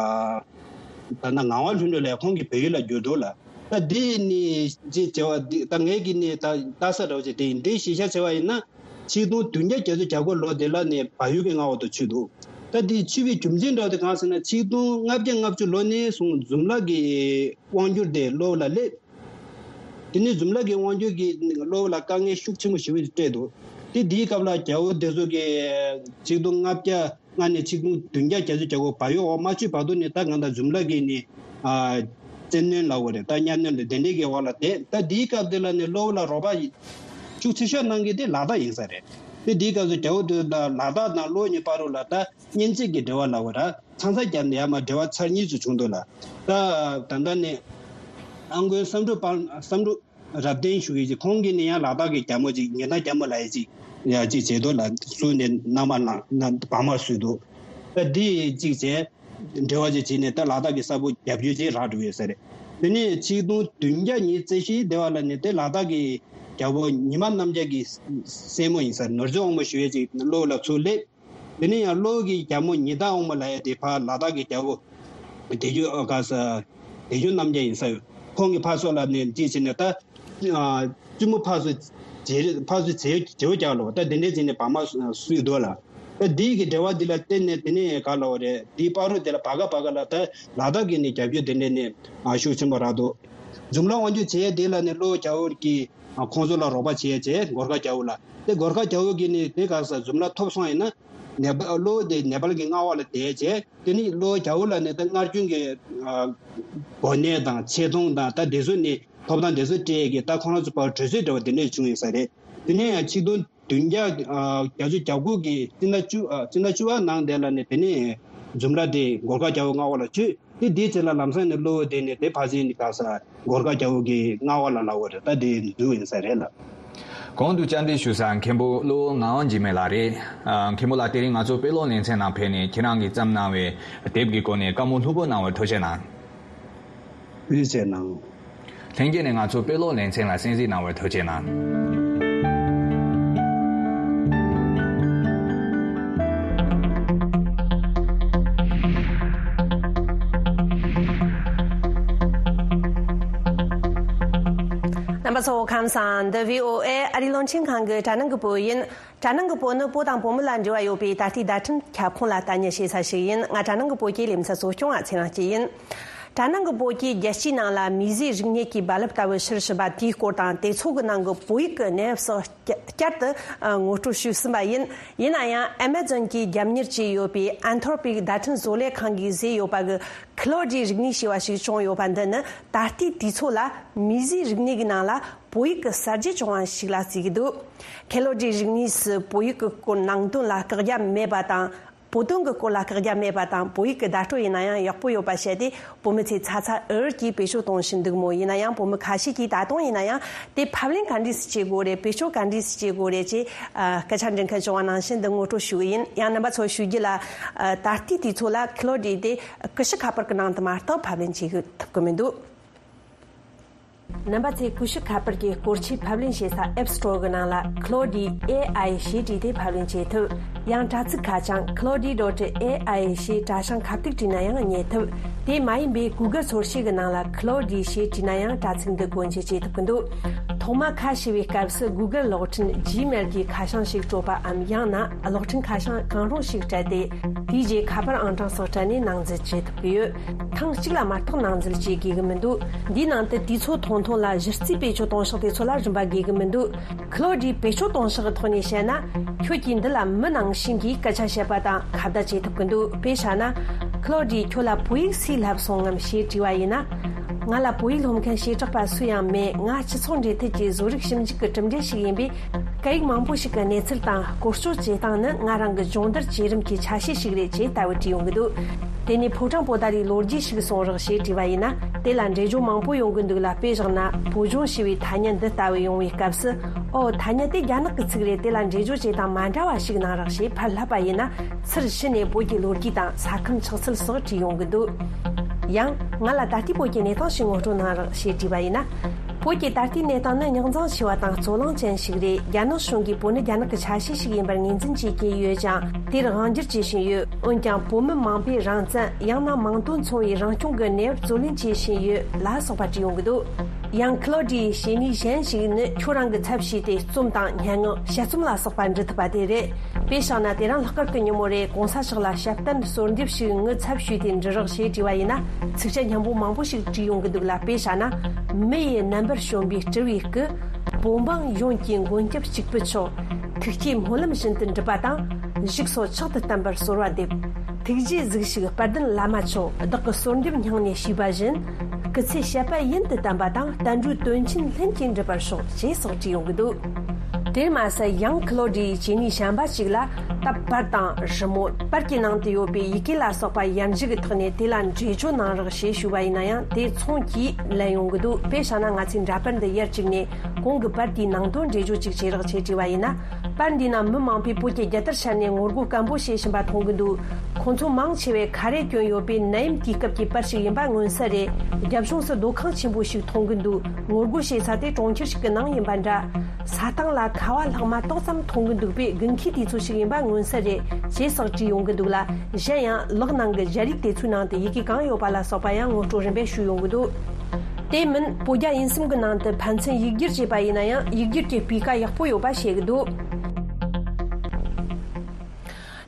ལྟ་ངག་དབང་ལྷུན་གྲུབ་ལགས་ཁོང་གིས་བལ་ཡུལ་ལ་བསྒྱུར་འདུག་ལ། ད་འདི་ནི་ཅིག་བྱ་བ་འདི་ད་ངས་ཀྱི་ནི་ད་ལྟ་ས་འདྲ་བོ་ཅིག་དེ་ཡིན། འདི་གཞི་བཞག་བྱས་པ་ཡིན་ན་ཆིག་སྟོང་བདུན་བརྒྱ་བརྒྱད་ཅུ་གྱ་དགུ་ལོ་དེ་ལ་ནི་བལ་ཡུལ་གྱི་མངའ་འོག་ཏུ་ཚུད་འདུག་ད་འདི་ཚུད་པའི་རྒྱུ་མཚན་འདྲ་བོ་དེ་གང་ཟེར་ན་ཆིག་སྟོང་ལྔ་བརྒྱ་ལྔ་བཅུ་ལོ་ནས་བཟུང་འཛུམ་ལགས་ཀྱི་དབང་སྒྱུར་དེ་གློ་བོ་ལ་སླེབས། དེ་ནས་འཛུམ་ལགས་ཀྱི་དབང་སྒྱུར་གྱིས་གློ་བོ་ལ་དཀའ་ངལ་ཤུགས་ཆེན་པོ་ཞེ་པོ་ཞིག་སྤྲད་འདུག་དེ་དེའི་སྐབས་ལ་རྒྱལ་པོ་དེ་ཚོ་གིས་ཆིག་སྟོང་ལྔ་བརྒྱ་ལྔ་ནས་ཆིག་སྟོང་བདུན་བརྒྱ་བརྒྱད་ཅུ་གྱ་དགུ་བལ་ཡུལ་འོག་མ་ཚུད་བར་དུ་ནས་ད་གང་ལྟར་འཛུམ་ལགས་ཀྱིས་ནི་ཨ་བཙན་གནོན་ལབ་དགོས་རེད། ད་གཉའ་གནོན་དེ་འདྲའི་གི་འོག་ལ་བསྡད། ད་དེའི་སྐབས་དེ་ལ་ནི་གློ་བོ་ལ་རོགས་པ་ཤུགས་ཆེ་ཤོས་གནང་མཁན་དེ་ལ་དྭགས་ཡིན་ས་རེད། དེ་དེའི་སྐབས་སུ་རྒྱལ་པོ་དེ་ལ་ལ་དྭགས་དང་གློ་བོ་གཉིས་བར་དུ་ལ་ད་གཉེན་ཚན་གྱི་འབྲེལ་བ་ལབ་དགོས་ར། ཚང་ས་རྒྱབ་ནས་ཡར་མར་འབྲེལ་བ་ཚར་གཉིས་སུ་བྱུང་འདུག་ལ། ད་ད་ལྟ་ནི་ཨ་མགོན་བསམ་འགྲུབ་དཔལ་བསམ་འགྲུབ་རབ་བརྟན་ཞུ་གི་ཅིག་ཁོང་གིས་ནི་ཡང་ལ་དྭགས་ཀྱི་རྒྱལ་མོ་ཅིག་ཉི་ཟླ་རྒྱལ་མོ་ལབ་ཡས་ཅིག་ཡ་ཅིག་བྱས་འདུག་ལ། བསུས་ནས་མནའ་མ་ལངས་ན་བག་མ་བསུས་འདུག་ད་འདི་ཅིག་བྱས་འབྲེལ་བ་ཅིག་བྱས་ནས་ད་ལ་དྭགས་ཀྱི་ས་ཕོ་རྒྱབ་སྐྱོར་ཅིག་རག་འགྲོ་ཡོད་ས་རེད། དེ་ནས་ཆིག་སྟོང་བདུན་བརྒྱ་ཉི་ཤུ་རྩ་བཞིའི་སྡེ་བ་ལ་ནི་དེ་ལ་དྭགས་ཀྱི་རྒྱལ་པོ་ཉི་མ་རྣམ་རྒྱལ་གྱི་སྲས་མོ་ཡིན་ས་རེད། ནོར་རྫི་དབང་མོ་ཞུ་ཡས་ཅིག་གློ་བོ་ལ་ཚུར་སླེབས། དེ་ནས་ཡང་གློ་བོ་གི་རྒྱལ་མོ་ཉི་ཟླ་དབང་མོ་ལབ་ཡས་དེ་ཕར་ལ་དྭགས་ཀྱི་རྒྱལ་པོ་བདེ་སྒྱུར་ཨ་ག་ས་བདེ་སྒྱུར་རྣམ་རྒྱལ་ཡིན་ས་ཡོད། ཁོང་གིས་ཕར་ཚུར་ལ་ནས་ཅིག་བྱས་ནས་ད་ཨ་བཙུན་མོ་ཕར་ཚུར་བྱེད་ཕར་ཚུར་བྱེད་བྱེད་རྒྱག་ལོ། ད་དེ་འདྲའི་བྱས་ནས་བག་མ་བསུས་འདུག་ལ། ད་འདི་གི་འབྲེལ་བ་འདི་ལ་བརྟེན་ནས་དེ་ནས་ག་ལབ་རེད། འདིའི་བར་དུ་དེ་ལ་བར་སྐབས་བར་སྐབས་ལ་ད་ལ་དྭགས་ཀྱི་ནས་རྒྱབ་སྐྱོར་དེ་འདྲས་ནས་ཨ་ཤུགས་ཆེན་པོ་རག་འདུག་འཛུམ་ལགས་དབང་སྒྱུར་བྱེད་ཡས་དེ་ལ་ནས་གློ་བོ་རྒྱལ་པོ་གིས་ཨ་ཁོང་ཚོ་ལ་རོགས་པ་བྱེད་ཡས་བྱས། གོར་ཁ་རྒྱལ་པོ་ལ། དེ་གོར་ཁ་རྒྱལ་པོ་གིས་ནི་དེ་ག་ས་འཛུམ་ལགས་ཐོབ་སོང་ཡིན་ན་ནེ་པ་གློ་བོ་དེ་ནེ་པཱལ་གྱི་མངའ་འོག་ལ་བསྡད་བྱས། དེ་ནི་གློ་བོ་རྒྱལ་པོ་ལ་ནི་ད་སྔར་རྒྱུན་གྱི་ཨ་གོ་གནས་དང་ཆེ་མཐོང་དང་ད་དེ་ཚོ་ནི་ཐོབ་ཐང་དེ་ཚོ་སྤྲད་ཀྱི་ད་ཁོ་རང་ཚོ་བར་གྲོས་ཚོད་འདྲ་བ་དེ་འདྲས་བྱུང་ཡོད་ས་རེད། དེ་ནས་ཡང་ཆིག་སྟོང་བདུན་བརྒྱ་ཨ་བརྒྱད་ཅུ་གྱ་དགུ་གི་སྤྱི་ཟླ་བཅུ་ཨ་སྤྱི་ཟླ་བཅུ་པ་ནང་དེ་ལ་ནི་དེ་ནས་འཛུམ་ལགས་དེ་གོར་ཁ་རྒྱལ་པོ་མངའ་འོག་ལ་ཚུད། དེ་དེའི་རྗེས་ལ་ལམ་སང་ནས་གློ་བོ་དེ་ནས་དེ་ཕར་ཕྱིན་ནས་ག་ས་གོར་ཁ་རྒྱལ་པོ་གི་མངའ་འོག་ལ་ལབ་དགོས་རེད། ད་དེ་འཛུལ་ཡིན་ས་རེད་ལ། གོང་དུ་བཅར་འདྲི་ཞུ་ས་མཁན་པོ་གློ་བོ་ངག་དབང་འཇིགས་མེད་ལགས་རེད། ཨ་མཁན་པོ་ལགས་དེ་རིང་ང་ཚོ་དཔེ་ཀློག་ལེ་ཚན་ནང་ཕེབས་ནས་ཁྱེད་རང་གིས་བརྩམས་གནང་བའི་དེབ་ཀྱི་སྐོར་ནས་བཀའ་མོལ་ལྷུག་པོ་གནང་བར་ཐུགས་རྗེ་གནང་། ཐུགས་རྗེ་ཆེ་གནང་། ལྷན་རྒྱས་ནས་ང་ཚོ་དཔེ་ཀློག་ལེ་ཚན་ལ་གསན་གཟིགས་གནང་བར་ཐུགས་རྗེ་གནང་། རྣམ་པ་ཚོ་ཁམས་བཟང་། འདི་བྷི་ཨོ་ཨེ་ཨ་རིའི་རླུང་འཕྲིན་ཁང་གི་དྲ་སྣང་གི་བོད་ཡིན། དྲ་སྣང་གི་བོད་ནི་བོད་དང་བོད་མི་ལ་འབྲེལ་བ་ཡོད་པའི་ད་ལྟའི་བརྡ་འཕྲིན་ཁྱབ་ཁོངས་ལ་ལྟ་ཉན་བྱེད་ས་ཞིག་ཡིན། ང་དྲ་སྣང་གི་བོད་ཀྱི་ལེ་ཚན་གཙོ་སྐྱོང་བ་ཚེ་རིང་སྐྱིད་ཡིན། དྲ་སྣང་གི་བོད་ཀྱི་རྒྱལ་སྤྱིའི་ནང་ལ་མིས་བཟོས་རིག་གནས་ཀྱི་རྦ་རླབས་ལྟ་བུ་ཕྱིར་ཕྱིན་པ་དེའི་སྐོར་དང་དེ་ཚོ་གི་ནང་གི་བོད་ཡིག་གི་གནས་བབ་སོགས་བསྐྱར་དུ་ངོ་སྤྲོད་ཞུས་ཟིན་པ་ཡིན། ཡིན་ན་ཡང་ཨ་མེ་ཛོན་གྱི་རྒྱབ་གཉེར་བྱས་ཡོད་པའི་ཨན་ཐོར་པིག་བརྡ་འཕྲིན་བཟོ་ལས་ཁང་གིས་བཟོས་ཡོད་པ་གི་ཁི་ལོ་ཌི་རིག་གནས་ཞེས་པ་ཞིག་བྱུང་ཡོད་པ་འདི་ནི་ད་ལྟའི་དུས་ཚོད་ལ་མིས་བཟོས་རིག་གནས་ཀྱི་ནང་ལ་བོད་ཡིག་གི་གསར་བརྗེ་བྱུང་བ་ཞིག་ལ་བརྩི་གི་འདུག་ཁི་ལོ་ཌིའི་རིག་གནས་སུ་བོད་ཡིག་གི་སྐོར་ནང་དོན་ལ་བཀག་རྒྱ་མེད་པ་དང་། བོད་དོན་གྱི་སྐོར་ལ་བཀག་རྒྱ་མེད་པ་དང་། བོད་ཡིག་གི་བརྡ་སྤྲོད་ཡིན་ན་ཡང་ཡག་པོ་ཡོད་པ་བཤད་དེ། བོད་མི་ཚོས་ཚ་ཚ་འུར་འུར་གྱིས་བེད་སྤྱོད་གཏོང་བཞིན་འདུག་མོད། ཡིན་ན་ཡང་བོད་མི་ཁ་ཤས་ཀྱིས་ད་དུང་ཡིན་ན་ཡང་དེ་ཕབ་ལེན་ག་འདྲས་སུ་བྱེད་དགོས་རེད། བེད་སྤྱོད་ག་འདྲས་སུ་བྱེད་དགོས་རེད་ཅེས་ཨ་སྐད་ཆ་འདྲི་མཁན་བྱུང་བ་ནང་བཞིན་འདི་ངོ་སྤྲོད་ཞུ་གི་ཡིན། ཡང་རྣམ་པ་ཚོ་ཞུ་རྒྱུ་ལ། ཨ་ད་ལྟའི་དུས་ཚོད་ལ་ཁི་ལོ་ཌི་དེ་ཀུ་ཤུ་ཁ་པར་གྱི་ནང་དུ་མ་གཏོགས་ཕབ་ལེན་བྱེད་ཐུབ་ཀྱི་མི་འདུག་རྣམ་པ་ཚོས་ཀུ་ཤུ་ཁ་པར་གྱི་སྐོར་ཆས་ཕབ་ལེན་བྱེད་ས་App Store གི་ནང་ལ་Claude A I ཞེས་བྲིས་ཏེ་ཕབ་ལེན་བྱེད་ཐུབ། ཡང་དྲ་ཚིགས་ཁ་བྱང་claude dot A I ཞེས་དྲ་བྱང་ཁ་ཐུག་བྲིས་ན་ཡང་རྙེད་ཐུབ། དེ་མ་ཡིན་པའི་Google ཚོར་ཤེས་ཀྱི་ནང་ལ་Claude ཞེས་བྲིས་ན་ཡང་དྲ་ཚིགས་འདི་སྒོ་འབྱེད་བྱེད་ཐུབ་ཀྱི་འདུག་ཐོག་མ་ཁ་ཕྱེ་བའི་སྐབས་སུ་Google གློག་འཕྲིན་Gmail གྱི་ཁ་བྱང་ཞིག་སྤྲོད་པའམ། ཡང་ན་གློག་འཕྲིན་ཁ་བྱང་གང་རུང་ཞིག་སྤྲད་དེ། དེའི་རྗེས་ཁ་པར་ཨང་གྲངས་སོགས་སྤྲད་ནས་ནང་འཛུལ་བྱེད་ཐུབ་ཀྱི་ཡོད། ཐེངས་གཅིག་ལ་མ་གཏོགས་ནང་འཛུལ་བྱེད་དགོས་ཀྱི་མི་འདུག་འདིའི་ནང་དུ་དུས་ཚོད་ཐུང་ཐུང་ལ་གཞི་རྩའི་བེད་སྤྱོད་གཏོང་ཕྱོགས་དེ་ཚོ་ལ་རིན་པ་དགོས་ཀྱི་མི་འདུག་ཁི་ལོ་ཌི་བེད་སྤྱོད་གཏོང་ཕྱོགས་ཀྱི་ཐོག་ནས་བཤད་ན། ཁྱོད་ཀྱིས་འདི་ལ་མི་ནང་བཞིན་གྱིས་སྐད་ཆ་བཤད་པ་དང་ཁ་བརྡ་བྱེད་ཐུབ་ཀྱི་འདུག་དཔེ་བཞག་ན། ཁི་ལོ་ཌི་ཁྱོད་ལ་བོད་ཡིག་སུས་བསླབས་སོང་ངམ་ཞེས་དྲིས་པ་ཡིན་ན། ང་ལ་བོད་ཡིག་སློབ་མཁན་བྱེ་བྲག་པ་སུ་ཡང་མེད། ང་སྤྱི་ཚོགས་འབྲེལ་མཐུད་ཀྱི་བཟོ་རིག་ཞིབ་འཇུག་གི་གྲུབ་འབྲས་ཤིག་ཡིན་པས། སྐད་ཡིག་མང་པོ་ཞིག་གི་གནས་ཚུལ་དང་བཀོལ་སྤྱོད་བྱེད་སྟངས་ནི་ང་རང་གི་སྦྱོང་བརྡར་བྱེད་རིམ་གྱི་ཆ་ཤས་ཤིག་རེད་ཅེས་ལྟ་བུ་བྲིས་ཡོང་གི་འདུག་དེ་ནས་ཕོ་བྲང་པོ་ཏཱ་ལའི་ལོ་རྒྱུས་ཤིག་གསུང་རོགས་ཞེས་དྲིས་པ་ཡིན་ན། དེ་ལ་འགྲེལ་བརྗོད་མང་པོ་ཡོང་གི་འདུག་ལ། དཔེ་བཞག་ན་བོད་ལྗོངས་ཞེས་པའི་ཐ་སྙད་འདི་ལྟ་བུ་ཡོང་བའི་སྐབས་སུ། ཨོ། ཐ་སྙད་དེ་རྒྱ་ནག་གི་ཚིག་རེད། དེ་ལ་འགྲེལ་བརྗོད་བྱེད་སྟངས་མ་འདྲ་བ་ཞིག་གནང་རོགས་ཞེས་ཕར་ལབ་པ་ཡིན་ན། ཚུར་ཕྱི་ནས་བོད་ཀྱི་ལོ་རྒྱུས་དང་ས་ཁམས་ཆགས་ཚུལ་སོགས་བྲིས་ཡོང་གི་འདུག་ཡང་། ང་ལ་ད་ལྟའི་བོད་ཀྱི་གནས་སྟངས་ཤིག་ངོ་སྤྲོད་གནང་རོགས་ཞེས་དྲིས་པ་ཡིན་ན། བོད་ཀྱི་ད་ལྟའི་གནས་སྟངས་ནི་རྙོག་འཛིང་ཆེ་བ་དང་རྩོད་གླེང་ཅན་ཞིག་རེད། རྒྱ་ནག་གཞུང་གིས་བོད་ནི་རྒྱ་ནག་གི་ཆ་ཤས་ཤིག་ཡིན་པར་ངོས་འཛིན་བྱེད་ཀྱིན་ཡོད་ཀྱང་། དེར་དབང་སྒྱུར་བྱེད་བཞིན་ཡོད། འོན་ཀྱང་བོད་མི་མང་པོས་རང་བཙན། ཡང་ན་མིང་དོན་མཚུངས་པའི་རང་སྐྱོང་གི་གནས་བབ་རྩོད་ལེན་བྱེད་བཞིན་ཡོད་ལ་སོགས་པ་བྲིས་ཡོང་གི་འདུག་ཡང་། ཁི་ལོ་ཌི་ཡི་བྱེད་ནུས་གཞན་ཞིག་ནི། ཁྱོད་རང་གི་ཚབ་བྱས་ཏེ་རྩོམ་དང་སྙན་ངག་དཔྱད་རྩོམ་ལ་སོགས་པ་འབྲི་ཐུབ་པ་དེ་རེད། དཔེ་བཞག་ན། དེ་རིང་ལྷག་དཀར་གྱི་ཉིན་མོ་རེད། གོང་ས་མཆོག་ལ་དཔྱད་གཏམ་གསོལ་འདེབས་ཤིག་ངའི་ཚབ་ཞུས་ཏེ་འབྲི་རོགས་ཞེས་དྲིས་པ་ཡིན་ན། ཚིགས་བཅད་སྙན་པོ་མང་པོ་ཞིག་བྲིས་ཡོང་གི་འདུག་ལ། དཔེ་བཞག་ན། མི་ཡི་རྣམ་པར་བྱོན་པའི་སྤྲུལ་བའི་སྐུ། བོད་འབངས་ཡོངས་ཀྱི་མགོན་སྐྱབས་གཅིག་པུ་མཆོག་ཐུགས་བསྐྱེད་སྨོན་ལམ་བཞིན་དུ་འགྲུབ་པ་དང་། བཞུགས་སོ་མཆོག་ཏུ་བརྟན་པར་གསོལ་བ་འདེབས། ཐུགས་རྗེས་གཟིགས་ཤིག་དཔལ་ལྡན་བླ་མ་མཆོག་བདག་གི་གསོལ་འདེབས་སྙིང་ནས་ཞུས་པ་བཞིན། སྐུ་ཚེ་བྱེད་པ་ཡུན་དུ་བརྟན་པ་དང་། བསྟན་འགྲོའི་དོན་ཆེན་ལྷུན་གྱིས་འགྲུབ་པར་ཤོག་ཅེས་སོགས་བྲིས་ཡོང་གི་འདུག་དེར་མ་ཟད། ཡང་ཁི་ལོ་ཌི་ཡི་བྱེད་ནུས་གཞན་པ་ཞིག་ལ། ད་པར་དང་རི་མོ། པར་གྱི་ནང་དུ་ཡོད་པའི་ཡི་གེ་ལ་སོགས་པ་ཡར་འཇུག་གི་ཐོག་ནས་དེ་ལ་འགྲེལ་བརྗོད་གནང་རོགས་ཞེས་ཞུས་པ་ཡིན་ན་ཡང་། དེ་མཚུངས་ཀྱིས་ལན་ཡོང་གི་འདུག་དཔེ་བཞག་ན། ང་ཚོས་འདྲ་པར་འདི་ཡར་བཅུག་ནས། གོང་གི་པར་དེའི་ནང་དོན་འགྲེལ་བརྗོད་ཅིག་བྱེད་རོགས་ཞེས་དྲིས་པ་ཡིན་ན། པར་འདིའི་ནང་མི་མང་པོས་བོད་ཀྱི་རྒྱལ་དར་ཤར་ནས་ངོ་རྒོལ་སྐད་འབོད་བྱེད་བཞིན་པ་མཐོང་གི་འདུག་ཁོང་ཚོ་མང་ཆེ་བས་ཁ་རས་གྱོན་ཡོད་པས། ནད་ཡམས་དུས་སྐབས་ཀྱི་པར་ཞིག་ཡིན་པ་མངོན་གསལ་རེད། རྒྱབ་ལྗོངས་སུ་སྡོད་ཁང་ཆེན་པོ་ཞིག་མཐོང་གི་འདུག་ངོ་རྒོལ་བྱེད་ས་དེ་གྲོང་ཁྱེར་ཞིག་གི་ནང་ཡིན་པ་འདྲ། ས་སྟེང་ལ་ཁ་བ་ལྷག་མ་ཏོག་ཙམ་མཐོང་གི་འདུག་པས། དགུན་ཁའི་དུས་ཚོད་ཞིག་ཡིན་པ་མངོན་གསལ་རེད། ཅེས་སོགས་བྲིས་ཡོང་གི་འདུག་ལ། གཞན་ཡང་། ལག་ནང་གི་སྦྱར་ཡིག་དེ་ཚོའི་ནང་དུ་ཡི་གེ་གང་ཡོད་པ་ལ་སོགས་པ་ཡང་ངོ་སྤྲོད་རིམ་པས་ཞུས་ཡོང་གི་འདུག་དེ་མིན། བོད་རྒྱ་དབྱིན་གསུམ་གྱི་ནང་དུ་ཕན་ཚུན་ཡིག་སྒྱུར་བྱས་པ་ཡིན་ན་ཡང་། ཡིག་སྒྱུར་གྱི་སྤུས་ཀ་ཡག་པོ་ཡོད་པ་བཤད་ཀྱི་འདུག་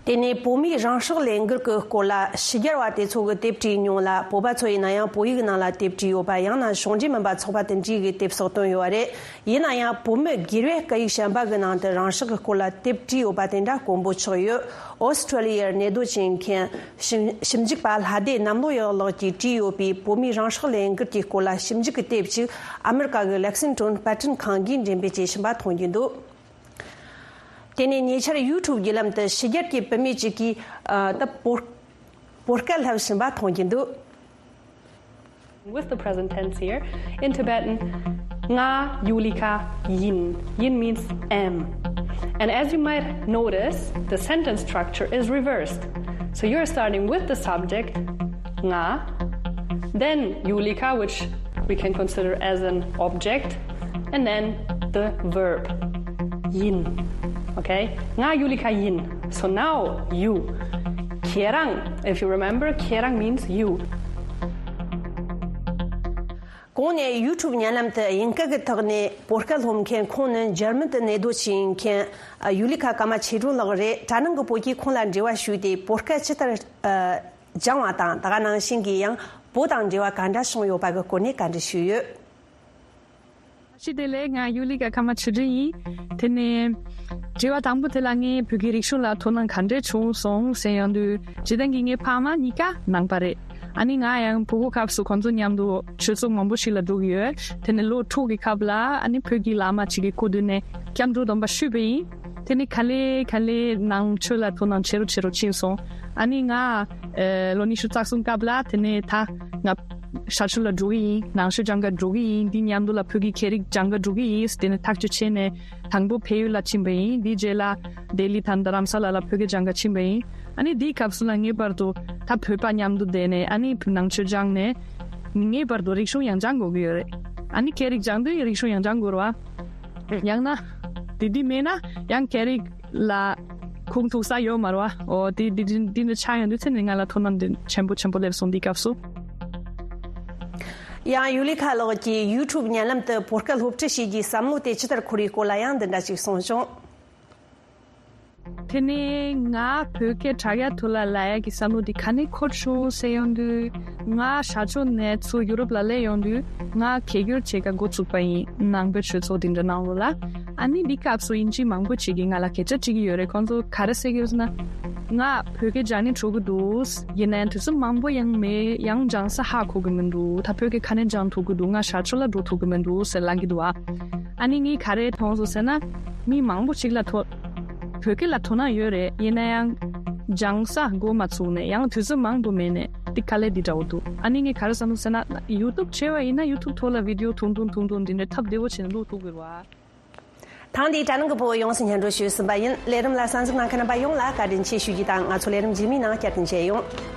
དེ་ནས་བོད་མིའི་རང་སྲོག་ལས་འགུལ་གྱི་སྐོར་ལ་ཕྱི་རྒྱལ་བ་དེ་ཚོ་གིས་དེབ་བྲིས་མྱོང་ལ། བོད་པ་ཚོ་ཡིན་ན་ཡང་བོད་ཡིག་ནང་ལ་དེབ་བྲིས་ཡོད་པ། ཡང་ན་གཞུང་འབྲེལ་མིན་པ་ཚོགས་པ་དེ་འདྲའི་གིས་དེབ་སོགས་བཏོན་ཡོད་པ་རེད། ཡིན་ན་ཡང་བོད་མི་སྒེར་བས་སྐད་ཡིག་གཞན་པ་གི་ནང་དུ་རང་སྲོག་གི་སྐོར་ལ་དེབ་བྲིས་ཡོད་པ་དེ་འདྲ་དཀོན་པོ་ཆགས་ཡོད། ཨོ་སི་ཁྲུ་ལི་ཡར་གནས་སྡོད་བྱེད་མཁན་ཞིབ་ཞིབ་འཇུག་པ་ལྷ་སྡེ་གནམ་ལོ་ཡག་ལགས་ཀྱིས་བྲིས་ཡོད་པའི་བོད་མིའི་རང་སྲོག་ལས་འགུལ་གྱི་སྐོར་ལ་ཞིབ་འཇུག་གི་དེབ་ཅིག་ཨ་མི་རི་ཀ་གི་ལེག་སིང་ཊོན་པར་སྐྲུན་ཁང་གིས་འགྲེམས་སྤེལ་བྱེད་བཞིན་པ་མཐོང་རྒྱུ་འདུག་དེ་ནས་ཉེ་ཆར་ཡུ་ཊུབ་བརྒྱུད་ལམ་དུ་ཕྱི་རྒྱལ་གྱི་བུད་མེད་ཅིག་གིས། ཨ། ད་བོད་བོད་སྐད་བསླབ་བཞིན་པ་མཐོང་རྒྱུ་འདུག With the present tense here, in Tibetan, nga Yulika yin. Yin means am. And as you might notice, the sentence structure is reversed. So you're starting with the subject, nga, then Yulika, which we can consider as an object, and then the verb, yin. Okay? Nga Yulika yin. So now you. Kherang, if you remember, kherang means you. གོང་ནས་ཡུ་ཊུབ་བརྙན་ལམ་དུ་དབྱིན་སྐད་ཀྱི་ཐོག་ནས་བོད་སྐད་སློབ་མཁན་ཁོང་ནི་འཇར་མན་དུ་གནས་སྡོད་བྱེད་མཁན་ཡུ་ལི་ཁ་ཀརྨ་ཆོས་སྒྲོན་ལགས་རེད། དྲ་ནང་གི་བོད་ཀྱིས་ཁོང་ལ་འབྲེལ་བ་ཞུས་ཏེ། བོད་སྐད་ཇི་ལྟར་སྦྱང་བ་དང་། ད་ག་ནང་བཞིན་གྱི་ཡང་བོད་དང་འབྲེལ་བ་ག་འདྲ་བྱུང་ཡོད་པ་གི་སྐོར་ནས་བཀའ་འདྲི་ཞུས་ཡོད། བཀྲ་ཤིས་བདེ་ལེགས། ང་ཡུ་ལི་ཀ་ཀརྨ་ཆོས་སྒྲོན་ཡིན། དེ་ནས་དྲི་བ་དང་པོ་དེ་ལ་ངས་བོད་ཀྱི་རིག་གཞུང་ལ་དོ་སྣང་ག་འདྲས་བྱུང་སོང་ཟེར་ཡོང་དུས། སྤྱིར་བཏང་གི་ངའི་ཕ་མ་གཉིས་ཀ་ནང་པ་རེད། ཨ་ནི་ང་ཡང་ཕྲུ་གུ་སྐབས་སུ་ཁོང་ཚོ་མཉམ་དུ་ཆོས་ཚོགས་མང་པོ་ཞིག་ལ་འགྲོ་གི་ཡོད། དེ་ནས་ལོ་དྲུག་གི་སྐབས་ལ་ཨ་ནི་བོད་ཀྱི་བླ་མ་ཅིག་གི་སྐུ་མདུན་ནས་སྐྱབས་འགྲོ་སྡོམ་པ་ཞུས་པ་ཡིན། དེ་ནས་ག་ལེ་ག་ལེ་ནང་ཆོས་ལ་དོ་སྣང་ཆེ་རུ་ཆེ་རུ་ཕྱིན་སོང་། ཨ་ནི་ང་ཨེ་ལོ་ཉི་ཤུ་རྩ་གསུམ་སྐབས་ལ་དེ་ནས་ད་ང་ཞ་ཆུ་ལ་འགྲོ་གི་ཡིན། ནང་ཆོས་སྦྱང་ག་འགྲོ་གི་ཡིན། འདི་མཉམ་དུ་ལ་བོད་ཀྱི་ཁྱད་རིག་སྦྱང་ག་འགྲོ་གི་ཡིན། དེ་ནས་ཐག་གཅོད་བྱས་ནས་དང་པོ་བལ་ཡུལ་ལ་ཕྱིན་པ་ཡིན། འདིའི་རྗེས་ལ་ལྡི་ལི་དང་རྡ་རམ་ས་ལ་ལ་བོད་སྐད་སྦྱང་ག་ཕྱིན་པ་ཡིན། ཨ་ནི་འདིའི་སྐབས་སུ་ལ་ངེས་པར་དུ་ད་བོད་པ་མཉམ་དུ་བསྡད་ནས་ཨ་ནི་ནང་ཆོས་སྦྱངས་ནས་ངེས་པར་དུ་རིག་གཞུང་ཡང་སྦྱང་དགོས་ཀྱི་ཡོད་རེད། ཨ་ནི་ཁྱད་རིག་སྦྱང་དུས་རིག་གཞུང་ཡང་སྦྱང་དགོས་རེད་བ། ཡང་ན་འདི་འདི་མེད་ན་ཡང་ཁྱད་རིག་ལ་ཁུངས་ཐུག་ས་ཡོད་མ་རེད་བ། འོ་དེ་འདི་འདི་འདི་འདྲ་ཆགས་ཡོང་དུས་ཚེ་ནས་ང་ལ་དོ་སྣང་འདི་ཆེན་པོ་ཆེན་པོ་སླེབས་སོང་འདི་སྐབས་སུ། ཡང་ཡུ་ལི་ཁ་ལགས་ཀྱིས་ཡུ་ཊུབ་བརྙན་ལམ་དུ་བོད་སྐད་སློབ་ཁྲིད་བྱེད་རྒྱུའི་བསམ་བློ་དེ་ཅི་ལྟར་འཁོར་བའི་སྐོར་ལ་ཡང་འདི་འདྲ་ཞིག་གསུངས་བྱུང་། དེ་ནས་ང་བོད་སྐད་དྲ་རྒྱ་ཐོག་ལ་ལབ་ཡག་གི་བསམ་བློ་དེ་ག་ནས་འཁོར་བྱུང་ཟེར་ཡོང་དུས། ང་ཞ་ཆུ་ནས་ཚུར་ཡུ་རོབ་ལ་སླེབས་ཡོང་དུས་ང་གད་སྒྱུར་བྱེད་ག་འགོ་བཙུགས་པ་ཡིན། ནང་པའི་ཆོས་ཚོགས་དེ་འདྲ་ནང་ལོགས་ལ། ཨ་ནི་འདི་སྐབས་སུ་དབྱིན་ཇི་མང་པོ་ཅིག་གིས་ང་ལ་སྐད་ཆ་དྲིས་ཀྱི་ཡོད་རེད། ཁོང་ཚོ་ག་རེ་ཟེར་གྱི་ཡོད་ཟེར་ན། ང་བོད་སྐད་སྦྱང་ནས་འགྲོ་གི་འདུག་ཡིན་ནའང་དུས་ཚོད་མང་པོ་ཡང་མེད། ཡང་སྦྱང་ས་ཧ་གོ་གི་མི་འདུག་ད་བོད་སྐད་ག་ནས་སྦྱང་ཐུབ་ཀྱི་འདུག་ང་ཞར་ཕྱོགས་ལ་འགྲོ་ཐུབ་ཀྱི་མི་འདུག་ཟེར་ལབ་ཀྱི་འདུག་ཨ། ཨ་ནི་ངས་ག་རེ་མཐོང་སོང་ཟེར་ན། མི་མང་པོ་ཞིག་ལ་དོ། བོད་སྐད་ལ་དོ་སྣང་ཡོད་རེད། ཡིན་ན་ཡང་། སྦྱང་ས་འགོ་མ་ཚུགས་ནས་ཡང་དུས་ཚོད་མང་པོ་མེད་ནས་འདི་དཀའ་ལས་འདི་འདྲ་བོ་འདུག་ཨ་ནི་ངས་ག་རེ་བསམ་སོང་ཟེར་ན། ཡུ་ཊུབ་བྱས་པ་ཡིན་ན་ཡུ་ཊུབ་ཐོག་ལ་བི་ཌི་ཡོ་ཐུང་ཐུང་ཐུང་ཐུང་འདི་འདྲ་ཐབས་བདེ་བོ་བྱས་ནས་བླུག་ཐུབ་ཀྱི་རེད་བ། ཐེངས་འདིའི་དྲ་སྣང་གི་ཕོ་བོ་ཡོངས་སུ་སྙན་སྒྲོན་ཞུས་ཟིན་པ་ཡིན། ལས་རིམ་ལ་གསན་གཟིགས་གནང་མཁན་རྣམ་པ་ཡོངས་ལ་བཀའ་དྲིན་ཆེ་ཞུ་རྒྱུ་དང་། ང་ཚོ་ལས་རིམ་རྗེས་མའི་ནང་བསྐྱར་དུ་མཇལ་ཡོང་།